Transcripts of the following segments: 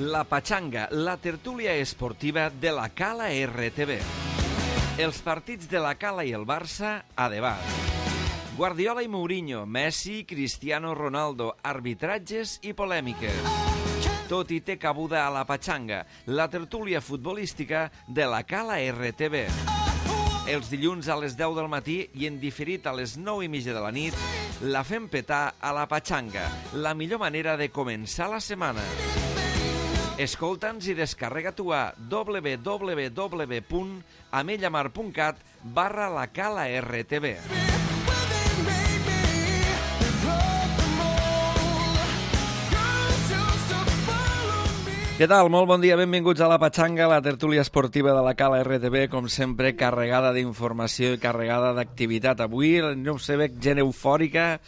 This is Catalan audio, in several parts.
La Pachanga, la tertúlia esportiva de la Cala RTV. Els partits de la Cala i el Barça a debat. Guardiola i Mourinho, Messi, Cristiano Ronaldo, arbitratges i polèmiques. Tot hi té cabuda a la Pachanga, la tertúlia futbolística de la Cala RTV. Els dilluns a les 10 del matí i en diferit a les 9:30 de la nit, la fem petar a la Pachanga, la millor manera de començar la setmana. Escolta'ns i descarrega-t'ho a www.amellamar.cat/lacala-rtv. Què tal? Molt bon dia, benvinguts a la Pachanga, la tertúlia esportiva de la Cala RTV, com sempre, carregada d'informació i carregada d'activitat. Avui, no ho sé, veig gent eufòrica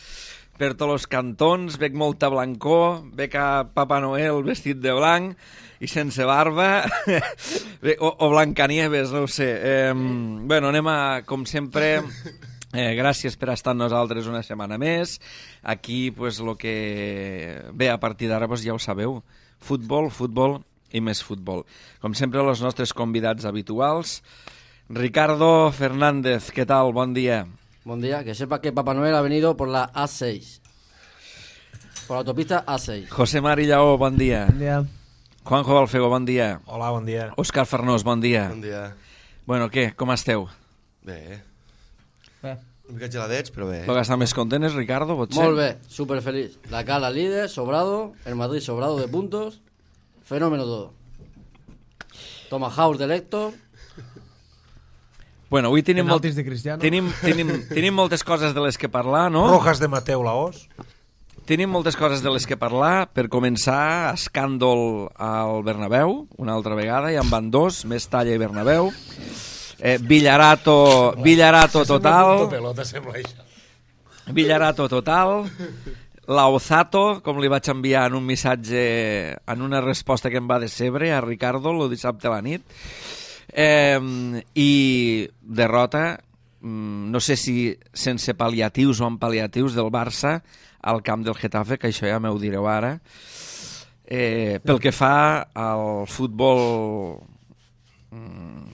per tots els cantons, veig molta blancor, veig a Papa Noel vestit de blanc i sense barba, o Blancanieves, no ho sé. Bueno, anem a, com sempre... gràcies per estar amb nosaltres una setmana més. Aquí, pues, el que ve a partir d'ara, pues, ja ho sabeu. Futbol, futbol i més futbol. Com sempre, els nostres convidats habituals. Ricardo Fernández, ¿qué tal? Bon dia. Buen día, que sepa que Papá Noel ha venido por la A6. Por la autopista A6. José Mari Lleó, bon dia. Bon dia. Juanjo Balfego, bon dia. Hola, bon dia. Òscar Farnós, bon dia. Bon dia. Bueno, què? Com esteu? Bé. Bé. Una mica geladets, però bé. Lo que està més content és Ricardo, potser? Molt bé, súper feliz. La Cala líder, sobrado. El Madrid sobrado de puntos. Fenómeno todo. Toma House de Héctor. Bueno, avui tenim, Penaltis de Cristiano. tenim moltes coses de les que parlar, no? Rojas de Mateu Laos. Tenim moltes coses de les que parlar. Per començar, escàndol al Bernabéu, una altra vegada, ja en van dos, Mestalla i Bernabéu. Villarato total. Villarato total. Laozato, com li vaig enviar en un missatge, en una resposta que em va decebre a Ricardo el dissabte a la nit. I derrota, no sé si sense pal·liatius o amb pal·liatius, del Barça al camp del Getafe, que això ja m'ho direu ara. Pel que fa al futbol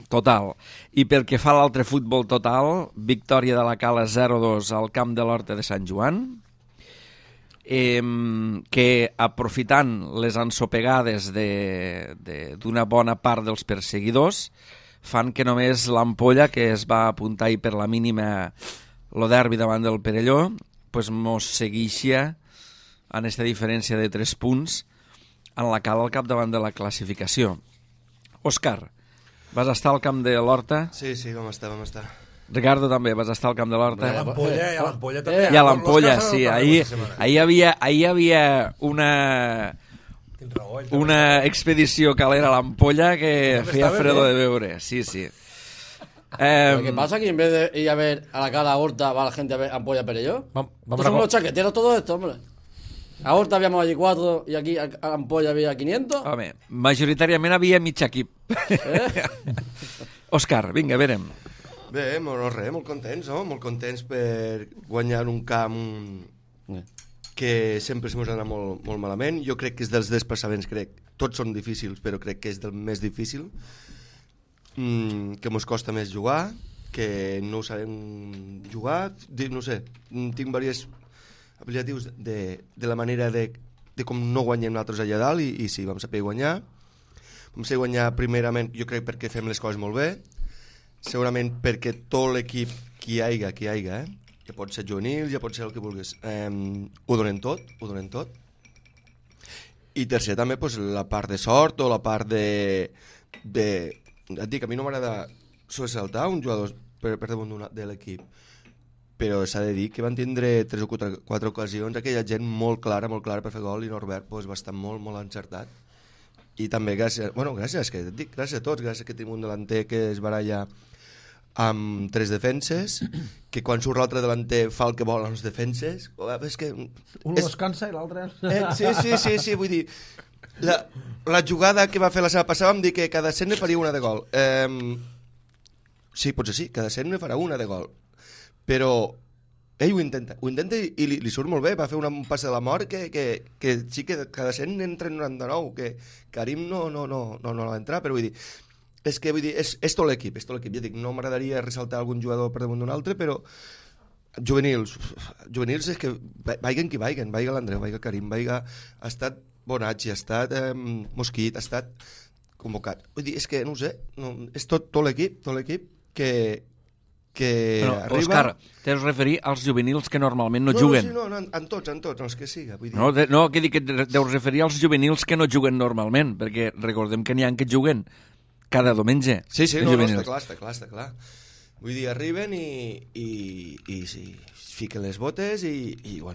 total i pel que fa a l'altre futbol total, victòria de la Cala 0-2 al camp de l'Horta de Sant Joan, que aprofitant les ensopegades d'una bona part dels perseguidors fan que només l'Ampolla, que es va apuntar ahir per la mínima lo derbi davant del Perelló, pues mos segueixia en aquesta diferència de 3 punts en la Cala al capdavant de la classificació. Òscar, vas estar al camp de l'Horta? Sí, vam estar. Ricardo també, vas estar al camp de l'Horta? I a l'Ampolla també. I a l'Ampolla, sí. Ahir hi havia una expedició calera a l'Ampolla que feia fredo de veure. Sí. Lo que pasa es que en vez de ir a ver a la Cala Horta, va la gente a ver Ampolla Perelló. Estos somos los chaqueteros todo esto, hombre. A Horta habíamos allí 4 i aquí a l'Ampolla havia 500. Home, majoritàriament havia mig equip. Òscar, vinga, verem. Bé, molt contents, no? Molt contents per guanyar un camp que sempre se mos ha anat molt malament. Jo crec que és dels desplaçaments, tots són difícils, però crec que és del més difícil, que mos costa més jugar, que no sabem jugar, no sé, tinc diversos apel·liatius de la manera de com no guanyem nosaltres allà dalt, i sí, vam saber guanyar. Vam saber guanyar primerament, jo crec, perquè fem les coses molt bé, segurament perquè tot l'equip que hi haiga, ja pot ser juvenil, ja pot ser el que vulguis, ho donen tot. I tercer també, pues, la part de sort o la part de... Et dic, a mi no m'agrada sobresaltar un jugador per damunt de l'equip, però s'ha de dir que van tindre 3 o 4 ocasions, aquella gent molt clara per fer gol, i Norbert pues, va estar molt encertat. I també gràcies a tots, gràcies que tenim un delanter que es baralla amb 3 defenses, que quan surt l'altre delanter fa el que vol als defenses. És que un descansa i l'altre... Sí, vull dir, la jugada que va fer la setmana passada vam dir que cada 100 ne faria una de gol. Sí, potser sí, cada 100 ne farà una de gol, però ell ho intenta i li surt molt bé, va fer un pas de la mort que sí que cada 100 entra en 99, que Karim no va entrar, però vull dir, és tot l'equip, ja dic, no m'agradaria ressaltar algun jugador per damunt d'un altre, però juvenils és que vaiguen qui vaiguen, vaiga l'Andreu, vaiga Karim, ha estat Bonacci, ha estat Mosquit, ha estat convocat. Vull dir, és que no ho sé, és tot l'equip que arriba... Òscar, t'has referir als juvenils que normalment no juguen. No, en tots, els que siga. Vull dir. No, que dic que deus referir als juvenils que no juguen normalment, perquè recordem que n'hi ha que juguen cada diumenge. Sí, està clar. Vull dir, arriben i sí, fiquen les botes i ho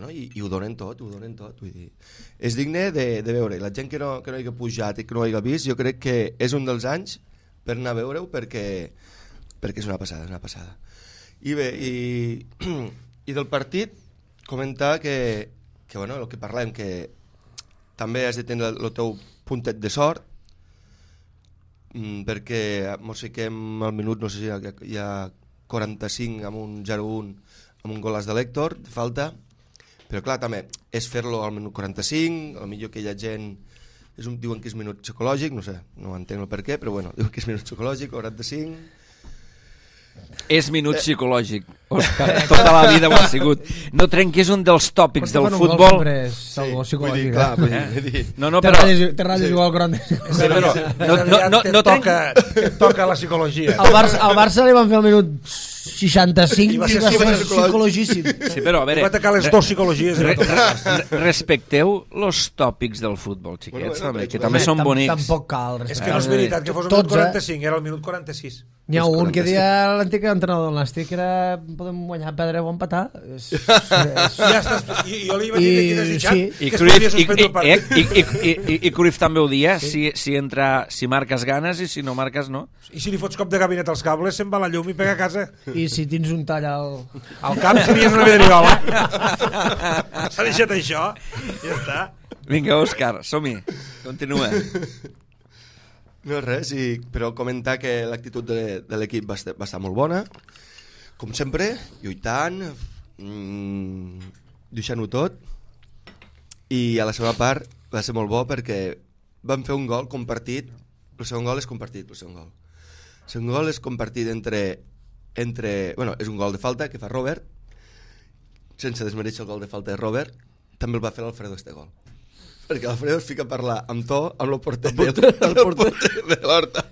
donen tot, vull dir. És digne de veure. La gent que no hi ha pujat i que no hi ha vist, jo crec que és un dels anys per anar a veure-ho perquè és una passada. I bé, i del partit, comentar que el que parlem, que també has de tenir el teu puntet de sort, perquè mos fiquem al minut, no sé si hi ha 45 amb un 0-1 amb un golaç de l'Héctor, de falta, però clar, també és fer-lo al minut 45, potser que hi ha gent, diuen que és minut psicològic, no sé, no entenc el per què, però bueno, diuen que és minut psicològic, 45... És minut psicològic, Òscar, tota la vida ho ha sigut. No trenquis un dels tòpics del futbol. Vull dir, clar, te ratlles igual al 40. Te toca la psicologia. Al Barça li van fer el minut 65 i va ser psicologíssim. Sí, però a veure, va atacar les dues psicologies. Respecteu els tòpics del futbol, xiquets, que també són bonics. Tampoc cal respectar. És que no és veritat que fos el minut 45, era el minut 46. N'hi ha un que deia l'antic entrenador del Nàstic que era podem guanyar, perdre o empatar. Ja estàs, jo li vaig dir que desitjat que es podia suspendre el partit. I Cruyff també ho dia, si marques ganes i si no marques no. I si li fots cop de gabinet als cables se'n va la llum i pega a casa. I si tens un tall al cap series una vidriola. S'ha deixat això, ja està. Vinga, Òscar, som-hi, continua. No res, però comentar que l'actitud de l'equip va estar molt bona, com sempre, lluitant, deixant-ho tot, i a la segona part va ser molt bo perquè van fer un gol compartit, el segon gol és compartit, el segon gol és compartit bueno, és un gol de falta que fa Robert, sense desmereixer el gol de falta de Robert, també el va fer l'Alfredo este gol. Perquè l'Alfredo es fica a parlar amb to amb el porter de l'Horta.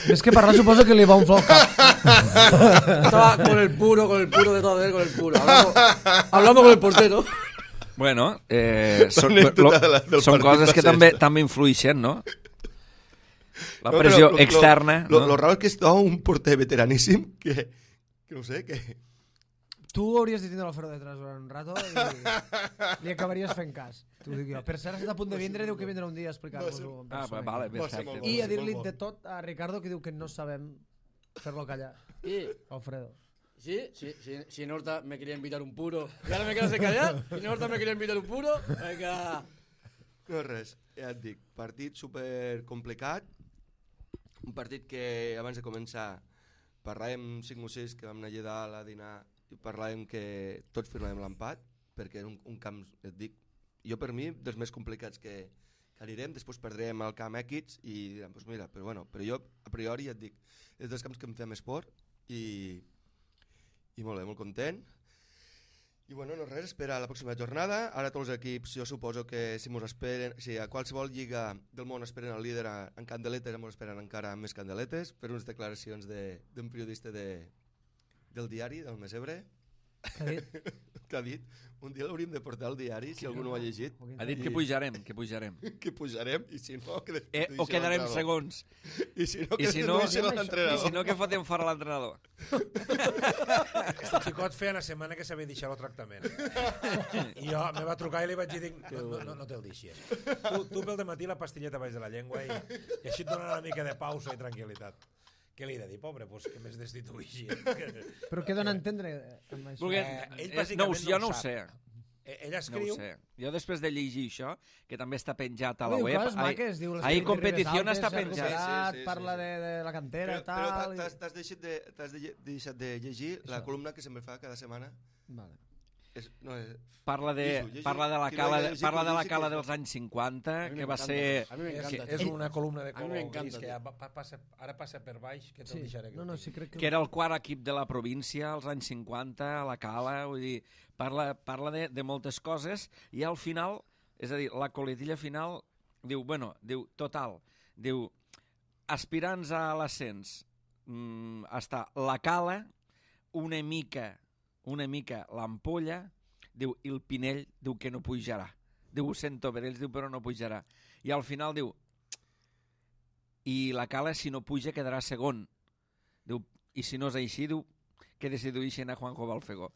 És que parlar suposo que li va unflar el cap. Estaba con el puro de todo él, con el puro. Hablando con el portero. Bueno, són coses que també influeixen, no? La pressió externa. Lo raro és que és un porter veteraníssim que no sé, que... Tu hauries de tindre l'Alfredo detrás durant un rato i li acabaries fent cas. T'ho dic jo. Per cert, està a punt de vindre, diu que vindrà un dia a explicar-vos-ho. Vale, perfecte. I a dir-li de tot a Ricardo que diu que no sabem fer-lo callar. Alfredo. Sí, si en Horta me quería invitar un puro y ahora me quedas de callar. Si en Horta me quería invitar un puro, venga. No res, ja et dic, partit super complicat, un partit que abans de començar parlàvem 5 o 6 que vam anar allà dalt a dinar i parlàvem que tots firmàvem l'empat perquè era un camp, et dic, jo per mi dels més complicats que anirem, després perdrem el camp Equids i direm, doncs mira, però jo a priori ja et dic, és dels camps que em fem esport i molt bé, molt content. I bueno, no res, espera la pròxima jornada. Ara tots els equips, jo suposo que si a qualsevol lliga del món esperen el líder en candeletes, ens esperen encara més candeletes per unes declaracions d'un periodista del diari, del Mesebre. Que ha dit, un dia l'hauríem de portar al diari, si algú no ho ha llegit. Ha dit que pujarem. Que pujarem, i si no... O quedarem segons. I si no, que fotem fora l'entrenador. Este xicot feia una setmana que s'havia deixat el tractament. I jo me va trucar i li vaig dir, no te'l deixis. Tu pel dematí la pastilleta baix de la llengua i així et dona una mica de pausa i tranquil·litat. Què li he de dir, pobre? Pues que més destituïgi. Però què dona a entendre amb això? Jo no ho sé. Ell escriu... Jo després de llegir això, que també està penjat a la web, ahí competició està penjat. Parla de la cantera i tal... Però t'has deixat de llegir la columna que sempre fa cada setmana Parla de la cala dels anys 50, que va ser... És una columna de color gris que ara passa per baix, que te'l deixaré. Que era el quart equip de la província als anys 50, a la cala, vull dir, parla de moltes coses, i al final, és a dir, la coletilla final, diu, total, diu, aspirants a l'ascens, està la cala, una mica l'ampolla, diu, i el Pinell diu que no pujarà. Diu, ho sento per ells, diu, però no pujarà. I al final diu, i la cala, si no puja, quedarà segon. Diu, i si no és així, diu, que destituïxen a Juanjo Balfegó.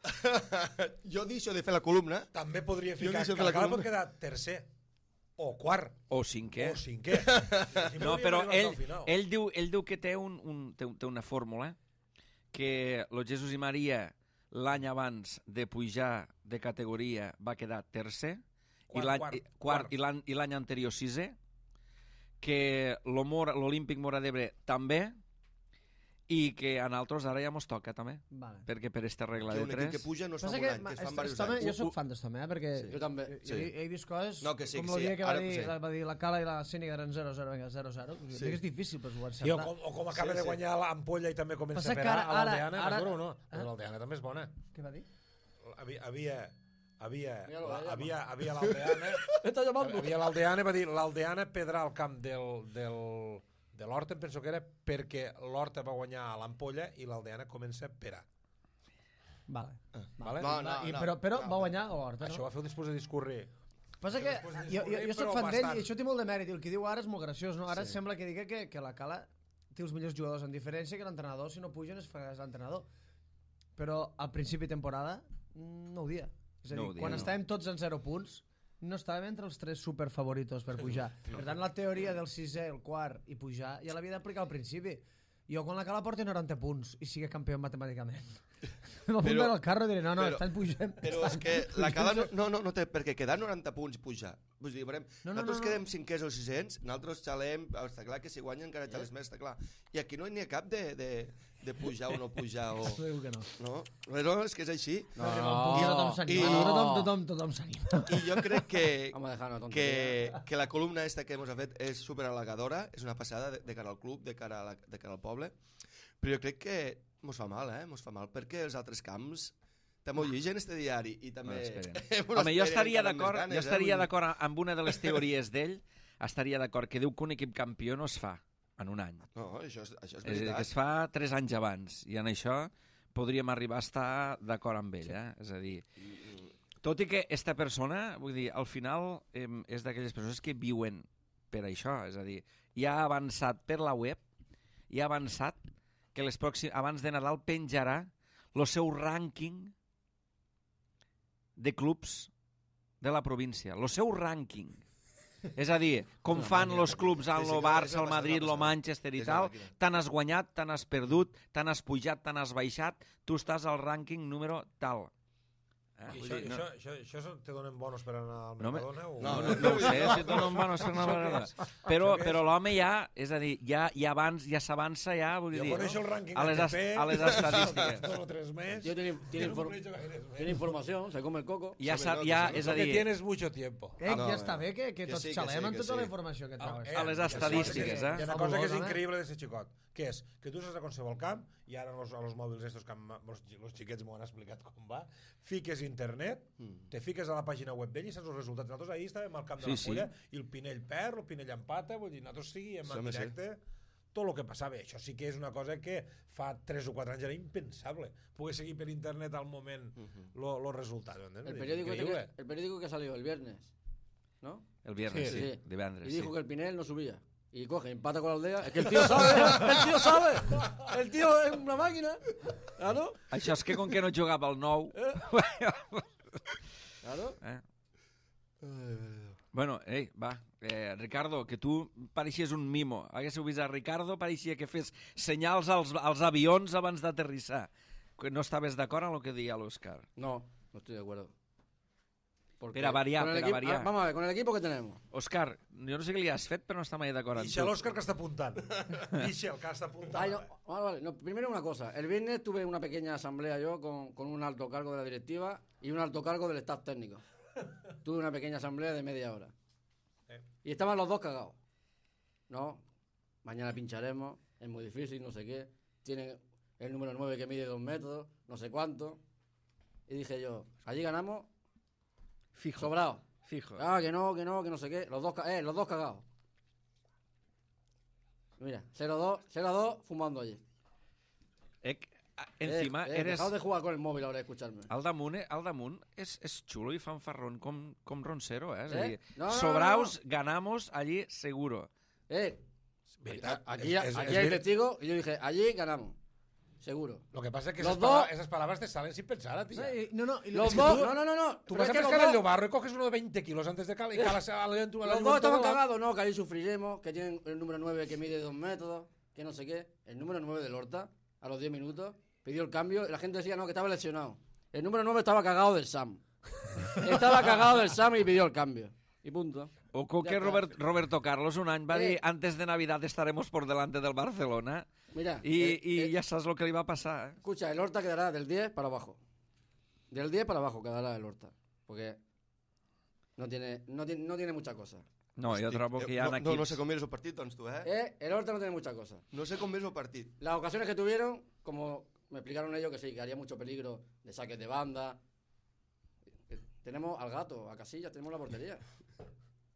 Jo deixo de fer la columna. També podria ficar que la cala pot quedar tercer, o quart. O cinquè. No, però ell diu que té una fórmula que el Jesús i Maria l'any abans de pujar de categoria va quedar tercer quart i l'any anterior sisè, que l'Olímpic Móra d'Ebre també, i que a nosaltres ara ja mos toca també, perquè per esta regla de 3... Que un equip que puja no es fa un any, que es fan diversos anys. Jo soc fan d'estome, perquè jo també he vist coses com el dia que va dir la Cala i la Cèniga eren 0-0, és difícil per jugar. O com acaba de guanyar l'Ampolla i també comença a fer a l'Aldeana, o no? L'Aldeana també és bona. Què va dir? Havia l'Aldeana, va dir l'Aldeana pedrà al camp de l'Horta, em penso que era perquè l'Horta va guanyar a l'Ampolla i l'Aldeana comença a perar. Vale. Però va guanyar a l'Horta, no? Això va fer després de discurrir. Passa que jo soc fan d'ell i això té molt de mèrit, i el que diu ara és molt graciós, no? Ara sembla que digui que la Cala té els millors jugadors, en diferència que l'entrenador, si no pugen, es farà l'entrenador. Però al principi de temporada no ho dia. És a dir, quan estàvem tots en 0 punts, no estàvem entre els 3 superfavoritos per pujar. Per tant, la teoria del 6è, el quart i pujar ja l'havia d'aplicar al principi. Jo quan la Cala porti 90 punts i sigui campió matemàticament m'apunten al carro i diré, no, estan pujant. Però és que la Cala no té per què quedar 90 punts i pujar. Vull dir, nosaltres quedem 5è o 600, nosaltres xalem, està clar que si guanyen encara xales més, està clar. I aquí no n'hi ha cap de pujar o no pujar. Segur que no. No, però és que és així. Tothom s'anima. I jo crec que la columna esta que ens ha fet és superhalagadora, és una passada de cara al club, de cara al poble, però jo crec que mos fa mal, mos fa mal, perquè els altres camps també ho llegeixen este diari i també... Home, jo estaria d'acord amb una de les teories d'ell, estaria d'acord que diu que un equip campió no es fa en un any. No, això és veritat. És a dir, que es fa 3 anys abans, i en això podríem arribar a estar d'acord amb ell, És a dir, tot i que esta persona, vull dir, al final és d'aquelles persones que viuen per això, és a dir, ja ha avançat per la web, i ha avançat que abans de Nadal penjarà el seu rànquing de clubs de la província. El seu rànquing. És a dir, com fan els clubs al Barça, al Madrid, al Manchester i tal, tant has guanyat, tant has perdut, tant has pujat, tant has baixat, tu estàs al rànquing número tal. Això te donen bonos per anar al Mercadona? No ho sé, si et donen bonos per anar al Mercadona. Però l'home ja, és a dir, ja s'avança ja, vull dir, a les estadístiques. Yo tiene información, se come el coco. Ja, és a dir... tienes mucho tiempo. Ja està bé que tots xalem amb tota la informació que trobes. A les estadístiques, Hi ha una cosa que és increïble de ser xicot, que és que tu saps a qualsevol camp, i ara a los mòbils estos que els xiquets m'ho han explicat com va, fiques internet, te fiques a la pàgina web d'ell i saps els resultats. Nosaltres ahir estàvem al camp de l'Ampolla i el Pinell perd, el Pinell empata, vull dir, nosaltres seguíem en directe tot el que passava. Això sí que és una cosa que fa 3 o 4 anys era impensable, poder seguir per internet al moment los resultats. El periódico que salió el viernes, ¿no? El viernes, sí, divendres. Y dijo que el Pinell no subía. Y coge, empata con la Aldea. Es que el tío sabe. El tío es una máquina. Claro. Això és que com que no jugava al 9... Claro. Bueno, va. Ricardo, que tu pareixies un mimo. Haguéssiu vist a Ricardo, pareixia que fes senyals als avions abans d'aterrissar. No estaves d'acord amb el que deia l'Òscar? No estoy de acuerdo. Porque Per a variar, con el per a equipo- variar. Vamos a ver, con el equipo que tenemos. Òscar, jo no sé què li has fet, però no està mai d'acord amb Dice tu. el Òscar que està apuntant. Dice el que està apuntant. Ay, no, vale. No, primero una cosa. El viernes tuve una pequeña asamblea yo con un alto cargo de la directiva y un alto cargo del staff técnico. Tuve una pequeña asamblea de media hora. Y estaban los dos cagados. No, mañana pincharemos, es muy difícil, no sé qué. Tienen el número 9 que mide 2 metros, no sé cuánto. Y dije yo, allí ganamos Fijo, sobrado. fijo. Ah, que no sé qué. Los dos cagados. Mira, 0-2 fumando allí. Encima, eres... Dejad de jugar con el móvil ahora y escucharme. Al damunt és xulo i fanfarrón com Roncero, eh? És a dir, No. sobraos, ganamos, allí seguro. Veritat, Aquí és hay testigos y yo dije, allí ganamos. Seguro. Lo que pasa es que Los esas palabras te salen sin pensar a ti. No, y Los que dos, tú- no. Tú Pero vas es a que pescar el Llobarro y coges uno de 20 kilos antes de calar y calas a la los dos estaban cagados, no, que ahí sufriremos, que tienen el número 9 que mide 2 metros, que no sé qué. El número 9 del Horta, a los 10 minutos, pidió el cambio y la gente decía, no, que estaba lesionado. El número 9 estaba cagado del Sam. Estaba cagado del Sam y pidió el cambio. Y punto. Ojo Ya que está. Roberto Carlos un any va dir antes de Navidad estaremos por delante del Barcelona Mira, i ja saps el que li va passar. escucha, el Horta quedará del 10 para abajo. Del 10 para abajo quedará el Horta. Porque no tiene mucha cosa. No, jo trobo que hi ha equips... No sé com és el partit, doncs, tu, El Horta no tiene mucha cosa. No sé com és el partit. Las ocasiones que tuvieron, como me explicaron ellos, que sí, que haría mucho peligro de saques de banda. Tenemos al Gato, a Casillas, tenemos la portería.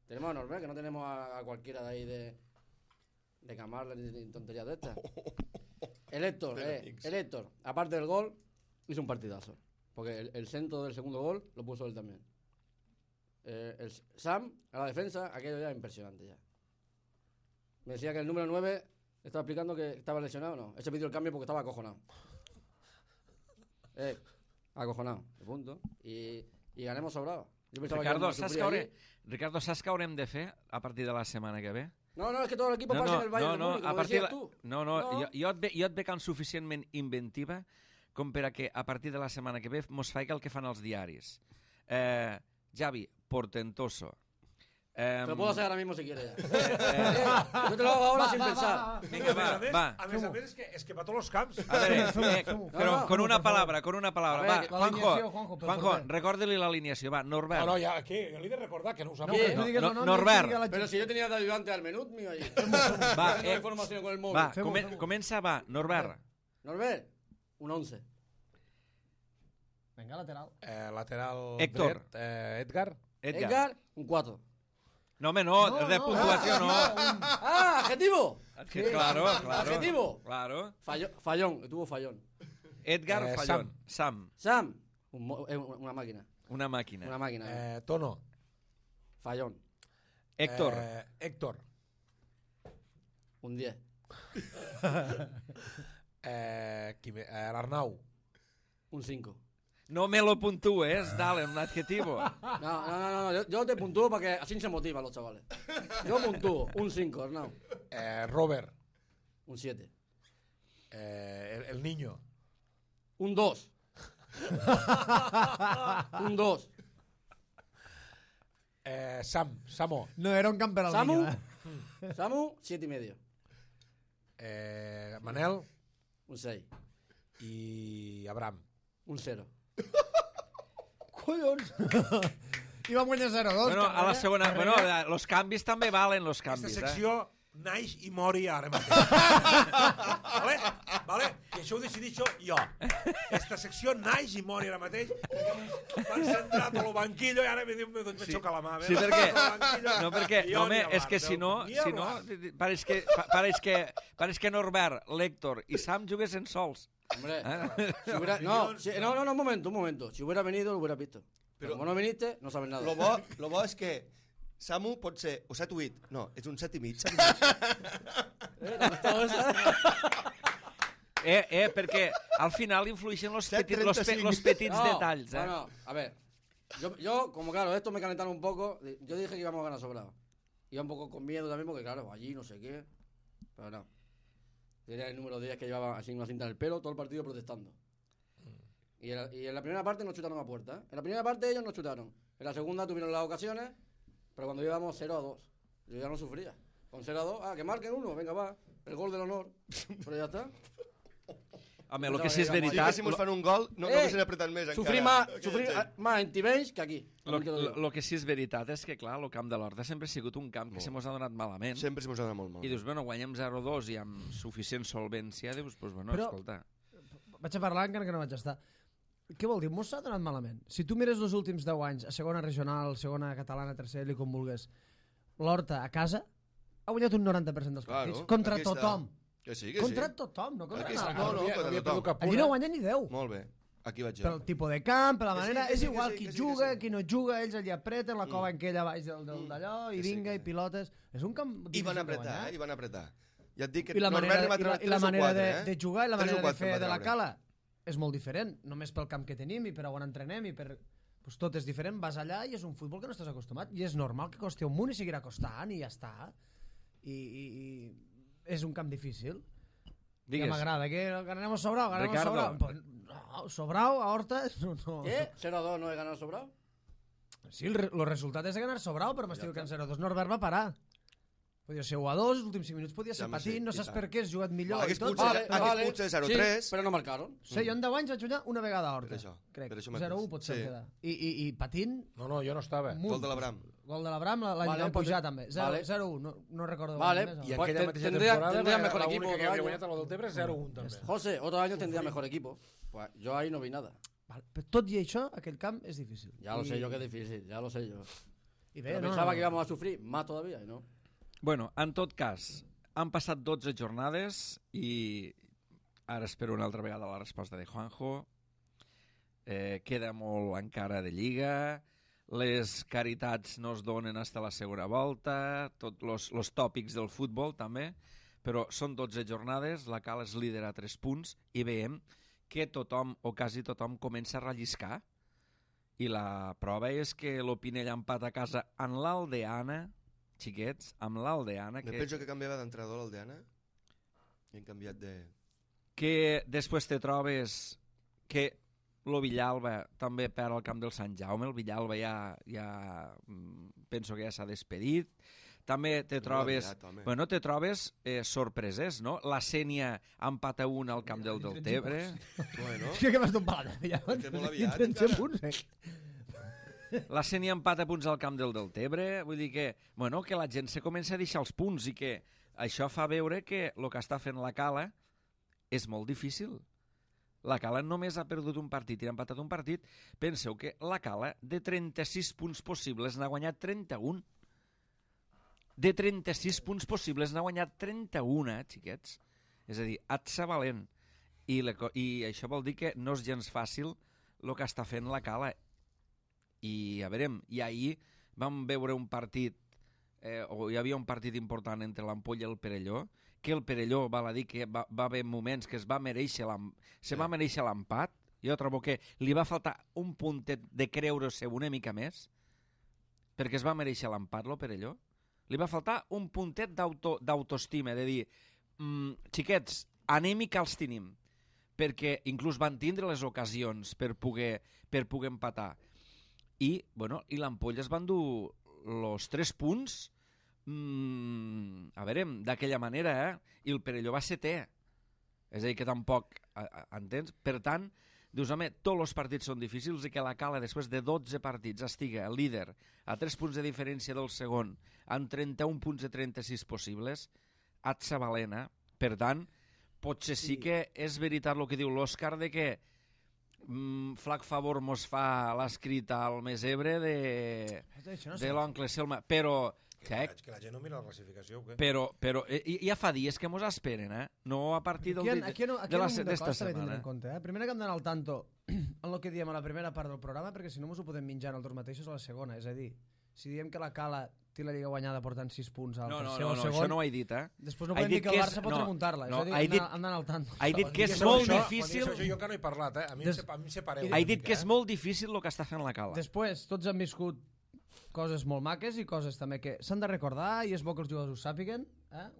Tenemos a Norbert, que no tenemos a cualquiera de ahí de Camarla ni tonterías de estas. El Héctor, aparte del gol, hizo un partidazo. Porque el centro del segundo gol lo puso él también. El Sam, a la defensa, aquello ya es impresionante ya. Me decía que el número 9 estaba explicando que estaba lesionado, no. Ese pidió el cambio porque estaba acojonado. Acojonado, de punto. Y ganemos sobrado. Yo pensaba Ricardo, que saps què haurem de fer a partir de la setmana que ve? No, es que todo el equipo pasa en el Bayern de Múnich, como decías tú. Jo et veig suficientment inventiva com per a que a partir de la setmana que ve mos faig el que fan els diaris. Javi, portentoso. Te lo puedo hacer ahora mismo si quieres ya. Yo te lo hago ahora sin pensar. Vinga, va. A més a més, és que va a tots els camps. A veure, però con una palabra. Va, Juanjo, recorda-li l'alineació. Va, Norbert. No, ja, què? Jo li he de recordar que no ho sap. Norbert. Pero si yo tenía de ayudante al menú mío allí. Va, Tengo información con el móvil. Va, comença, va, Norbert. Norbert, un 11. Venga, lateral. Lateral Héctor. dret, Edgar. Edgar, un 4. No, home, no, de puntuació no. ¡Ah, adjetivo! Claro. Adjetivo. Claro. Fallón, tuvo fallón. Edgar Fallón. Sam. Una máquina. Una màquina. Una máquina. Tono. Fallón. Héctor. Héctor. Un 10. L'Arnau. Un 5. No me lo puntúes, dale, un adjetivo. No, yo te puntúo para que así se motivan los chavales. Yo puntúo, un 5, Arnau. Robert. Un 7. El niño. Un 2. Un 2. Samo. No era un camper al niño, Samu, 7 y medio. Manel. Un 6. I Abraham. Un 0. Collons! I vam guanyar 0-2. Bueno, a la segona... Bueno, los canvis també valen, los Aquesta canvis, secció naix i mori ara mateix. Vale? I això ho decidixo jo. Aquesta secció naix i mori ara mateix. M'han centrat a lo banquillo i ara me xoca la mà. Sí, perquè... No, és que si no... Pareix que Norbert, l'Héctor i Sam juguessin sols. Hombre, si hubiera, un momento. Si hubiera venido, lo hubiera visto. Pero como no viniste, no sabes nada. Lo bo és que Samu pot ser o 7 o 8. No, és un 7 i mig. Perquè al final influeixen los petits detalls. No, a ver. Yo, como claro, esto me calentaron un poco. Yo dije que íbamos a ganar sobrado. Iba un poco con miedo también porque, claro, allí no sé qué. Pero no. Tenía el número 10 que llevaba así una cinta en el pelo, todo el partido protestando. Y en la primera parte no chutaron a puerta. En la primera parte ellos no chutaron. En la segunda tuvieron las ocasiones, pero cuando íbamos 0-2, yo ya no sufría. Con 0-2, que marquen uno, venga, va. El gol del honor. Però ja està. Home, el que sí és veritat... Si mos fan un gol, no haguessin apretat més encara. Sofrir més en Tivenys que aquí. El que sí és veritat és que, clar, el camp de l'Horta sempre ha sigut un camp que se mos ha donat malament. Sempre se mos ha donat molt malament. I dius, bueno, guanyem 0-2 i amb suficient solvència, dius, doncs, bueno, però, escolta... Vaig a parlar encara que no vaig estar. Què vol dir? Mos s'ha donat malament. Si tu mires els últims 10 anys, a segona regional, segona catalana, tercera, i com vulguis, l'Horta a casa ha guanyat un 90% dels partits. Contra tothom. Que sí. Contra tothom, no contra nalgú. No, tothom. Allí no guanya ni 10. Molt bé, aquí vaig jo. Pel tipus de camp, per la manera... És igual qui juga, qui no juga, ells allà apreten, la cova en aquella baix d'allò, i vinga, i pilotes... És un camp I van apretar, Ja et dic que I la manera de jugar i la manera de fer de la cala és molt diferent, només pel camp que tenim i per on entrenem i per... Pues tot és diferent, vas allà i és un futbol que no estàs acostumat i és normal que costi un munt i seguirà costant i ja està. I és un camp difícil. Digues. Que m'agrada, que ganem a Sobrau, No, Sobrau, a Horta... No. Què? 0-2 no he ganat Sobrau? Sí, el resultat és de ganar Sobrau, però m'estic que en 0-2 Norbert va parar. Podia ser 1-2, els últims 5 minuts podia ser patint, no saps per què has jugat millor i tot. Hagués potser 0-3. Sí, però no marcaron. Sí, jo en 10 anys vaig guanyar una vegada a Horta. Per això 0-1 pot ser quedar. I patint... No, jo no estava. Gol de l'Abram. Gol de l'Abram, l'any vam pujar també. 0-1, no recordo. Vale, y aquella mateixa temporada tendría mejor equipo. Que había guanyat a lo del Tebre 0-1 també. José, otro año tendría mejor equipo. Pues yo ahí no vi nada. Vale, però tot i això, aquell camp és difícil. Ya lo sé yo que es difícil, ya lo sé yo. I bé, pero pensaba que íbamos a sufrir más todavía y no. Bueno, en tot cas, han passat 12 jornades i ara espero una altra vegada la resposta de Juanjo. Queda molt encara de Lliga, les caritats no es donen fins a la segona volta, tots els tòpics del futbol també, però són 12 jornades, la Cala és líder a 3 punts i veiem que tothom o quasi tothom comença a relliscar i la prova és que l'Opinell empat a casa en l'Aldeana, xiquets, amb l'Aldeana... Me penso que canviava d'entrenador l'Aldeana i han canviat de... Que després te trobes que el Villalba també perd al camp del Sant Jaume, el Villalba ja penso que ja s'ha despedit. També te trobes... Bueno, te trobes sorpreses, no? La Sénia empat a 1 al camp del Deltebre. Bueno. És que vas d'un palat, Villalba. Que molt aviat, encara. La Sénia empata punts al camp del Deltebre, vull dir que, bueno, que la gent se comença a deixar els punts i que això fa veure que el que està fent la Cala és molt difícil. La Cala només ha perdut un partit i ha empatat un partit. Penseu que la Cala, de 36 punts possibles, n'ha guanyat 31. De 36 punts possibles n'ha guanyat 31, xiquets. És a dir, atsa valent. I això vol dir que no és gens fàcil el que està fent la Cala. I a veure, i ahir vam veure un partit, o hi havia un partit important entre l'Ampolla i el Perelló, que el Perelló, val a dir que va haver moments que va mereixer l'empat. Jo trobo que li va faltar un puntet de creure-se una mica més, perquè es va mereixer l'empat, el Perelló. Li va faltar un puntet d'autoestima, de dir, xiquets, anem i que els tenim, perquè inclús van tindre les ocasions per poder empatar. I l'Ampolla es van dur els 3 punts, a veure, d'aquella manera, i el Perelló va setè. És a dir, que tampoc, entens? Per tant, dius, home, tots els partits són difícils i que la Cala, després de 12 partits, estiga líder a 3 punts de diferència del segon, amb 31 punts de 36 possibles, atsa valena. Per tant, potser sí que és veritat el que diu l'Òscar de que flac favor mos fa l'escrit al Mesebre de l'oncle Selma, però que la gent no mira la classificació o què? Però ja fa dies que mos esperen, no a partir d'esta setmana. Primer que hem d'anar al tanto en el que diem a la primera part del programa, perquè si no mos ho podem menjar nosaltres mateixos a la segona. És a dir, si diem que la Cala té la Lliga guanyada portant 6 punts al tercer o al segon... això no ho he dit, Després no podem dir que el Barça pot remuntar-la. És a dir, hem d'anar al tanto. He dit que és molt difícil... Jo que no he parlat, a mi em separeu. He dit que és molt difícil el que està fent la Cala. Després, tots han viscut coses molt maques i coses també que s'han de recordar i és bo que els jugadors ho sàpiguen.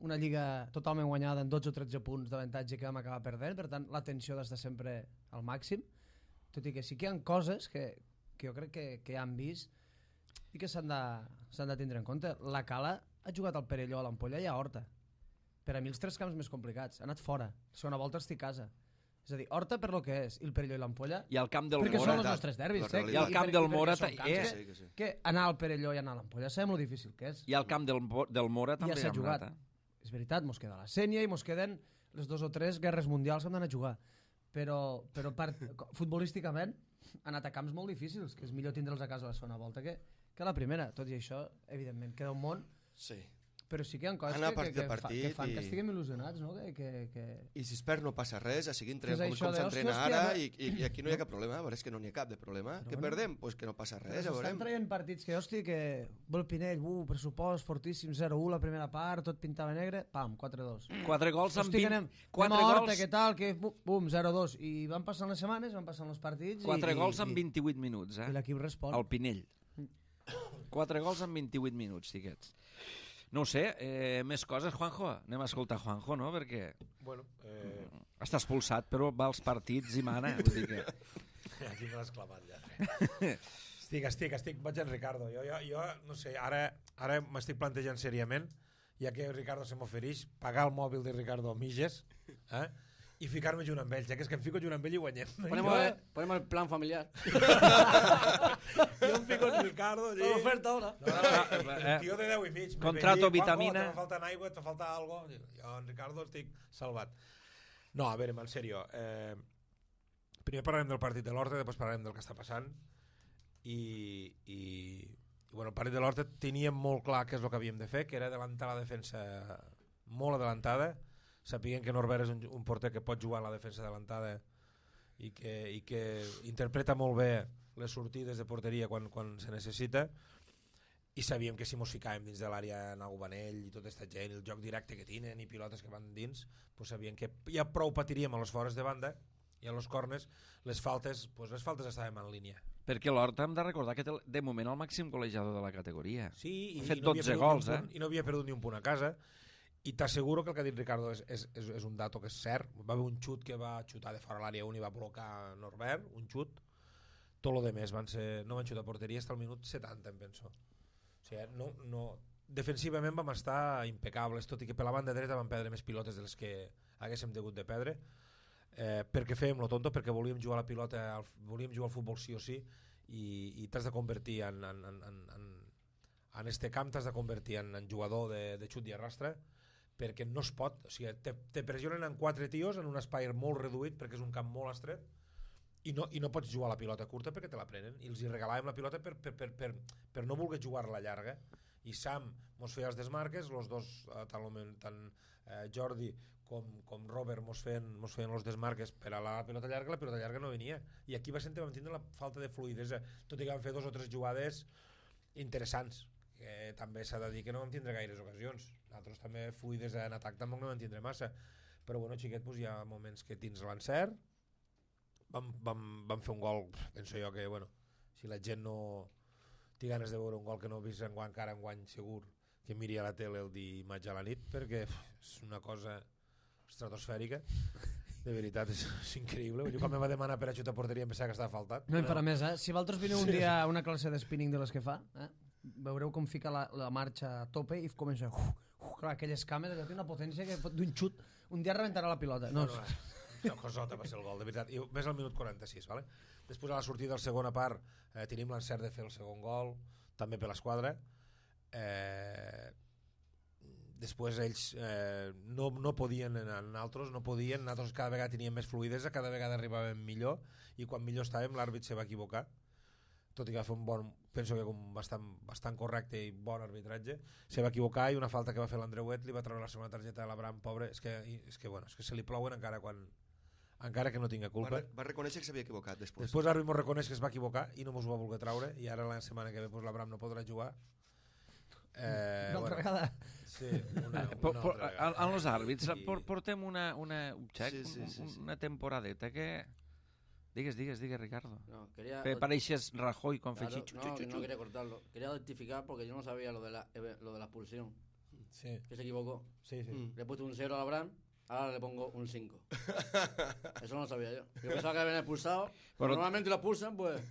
Una Lliga totalment guanyada en 12 o 13 punts d'avantatge que vam acabar perdent, per tant, la tensió d'estar sempre al màxim. Tot i que sí que hi ha coses que jo crec que ja han vist i que s'han de tindre en compte. La Cala ha jugat al Perelló, a l'Ampolla i a Horta. Per a mi els 3 camps més complicats. Ha anat fora. La segona volta estic a casa. És a dir, Horta per lo que és, i el Perelló i l'Ampolla... I el camp del perquè Mora... són els nostres derbis. I el camp del Mora... Que anar al Perelló i anar a l'Ampolla sabem lo difícil que és. I el camp del Mora també ja s'ha jugat. És veritat, mos queda la Sènia i mos queden les 2 o 3 guerres mundials que hem d'anar a jugar. Però futbolísticament ha anat a camps molt difícils, que és millor tindre'ls a casa la segona volta que la primera. Tot i això, evidentment, queda un món... Sí. Però sí que hi ha coses que fan que estiguem il·lusionats, no? I si es perd no passa res, a seguir entrenant com s'entrena ara, i aquí no hi ha cap problema, a veure, és que no n'hi ha cap de problema. Que perdem? Doncs que no passa res, ja veurem. Estan traient partits que, hòstia, que vol Pinell, pressupost fortíssim, 0-1 la primera part, tot pintava negre, pam, 4-2. 4 gols amb 20... Anem a Horta, què tal, que bum, 0-2. I van passant les setmanes, van passant els partits... 4 gols en 28 minuts, I l'equip respon. El Pinell. 4 gols en 28 minuts, tiquets. No ho sé, més coses, Juanjo? Anem a escoltar Juanjo, no? Perquè bueno, està expulsat, però va als partits i mana. Vull dir que... Aquí me l'has clavat, ja. Estic, vaig en Ricardo. Jo no sé, ara m'estic plantejant seriament, ja que Ricardo se m'ofereix, pagar el mòbil de Ricardo Miges, i ficar-me junt amb ells, ja que és que em fico junt amb ell i guanyem. Ponem el plan familiar. Jo em fico en Ricardo allí. L'oferta ara. El tio de 10 i mig. Contrato vitamina. Te falta aigua, te falta algo. Jo en Ricardo estic salvat. No, a veure, en sèrio. Primer parlarem del partit de l'Horta, després parlarem del que està passant. I bueno, el partit de l'Horta teníem molt clar què és el que havíem de fer, que era adelantar la defensa molt adelantada. Sapiguem que Norbert és un porter que pot jugar a la defensa adelantada i que interpreta molt bé les sortides de porteria quan se necessita, i sabíem que si mos ficàvem dins de l'àrea en Aubanell i tota aquesta gent, el joc directe que tenen i pilotes que van dins, pues sabíem que ja prou patiríem a les fores de banda i a los corners, les faltes estàvem en línia. Perquè l'Horta hem de recordar que té de moment el màxim col·legiador de la categoria. Sí, ha fet 12 gols, I no havia perdut ni un punt a casa. I t'asseguro que el que ha dit Ricardo és un dato que és cert. Va haver un xut que va xutar de fora l'àrea 1 i va blocar Norbert, un xut. Tot lo de més no van xutar a porteria fins al minut 70, em penso. O sigui, defensivament vam estar impecables, tot i que per la banda dreta vam perdre més pilotes de les que haguéssim degut de perdre, perquè fèiem lo tonto, perquè volíem jugar a la pilota, volíem jugar al futbol sí o sí, i t'has de convertir en este camp, t'has de convertir en jugador de xut i arrastre, perquè no es pot, o sigui, te pressionen en 4 tios en un espai molt reduït perquè és un camp molt estret i no pots jugar a la pilota curta perquè te la prenen, i els hi regalàvem la pilota per no voler jugar-la llarga, i Sam mos feia els desmarques, els dos, tant Jordi com Robert mos feien els desmarques per a la pilota llarga no venia, i aquí vam tindre la falta de fluidesa, tot i que vam fer 2 o 3 jugades interessants, que també s'ha de dir que no vam tindre gaires ocasions. Nosaltres també fluides en atac tampoc no vam tindre massa, però bueno, xiquet, hi ha moments que tens l'encert. Vam fer un gol, penso jo que bueno, si la gent no té ganes de veure un gol que no ha vist encara enguany segur, que miri a la tele el dimarts a la nit, perquè és una cosa estratosfèrica. De veritat, és increïble. Jo quan me va demanar per a xutar porteria em pensava que estava faltat. No em farà més, eh? Si vosaltres vineu un dia a una classe de spinning de les que fa, veureu com fica la marxa a tope i comença clar, aquelles cames, té una potència que d'un xut un dia rebentarà la pilota. No, cosota va ser el gol, de veritat. I més al minut 46, vale? Després a la sortida de la segona part tenim l'encert de fer el segon gol, també per l'esquadra. Després ells no podien, nosaltres cada vegada teníem més fluidesa, cada vegada arribàvem millor, i quan millor estàvem l'àrbit se va equivocar, tot i que va fer un bon, penso que bastant correcte i bon arbitratge, se va equivocar, i una falta que va fer l'Andreuet li va treure la segona targeta de l'Abraham, pobre, és que se li plouen encara que no tinga culpa. Va reconèixer que s'havia equivocat després. Després l'àrbit mos reconeix que es va equivocar i no mos ho va voler treure, i ara la setmana que ve l'Abraham no podrà jugar. Una altra vegada. Sí, una altra vegada. En els àrbits portem una temporadeta que... Digues, Ricardo. No, pareixes Rajoy con fechich. No quería cortarlo. Quería rectificar porque yo no sabía lo de la expulsión. Sí. Que se equivocó. Sí. Le he puesto un 0 a Abraham Ahora le pongo un 5. Eso no lo sabía yo. Yo pensaba que habían expulsado. Però normalment lo expulsen, pues...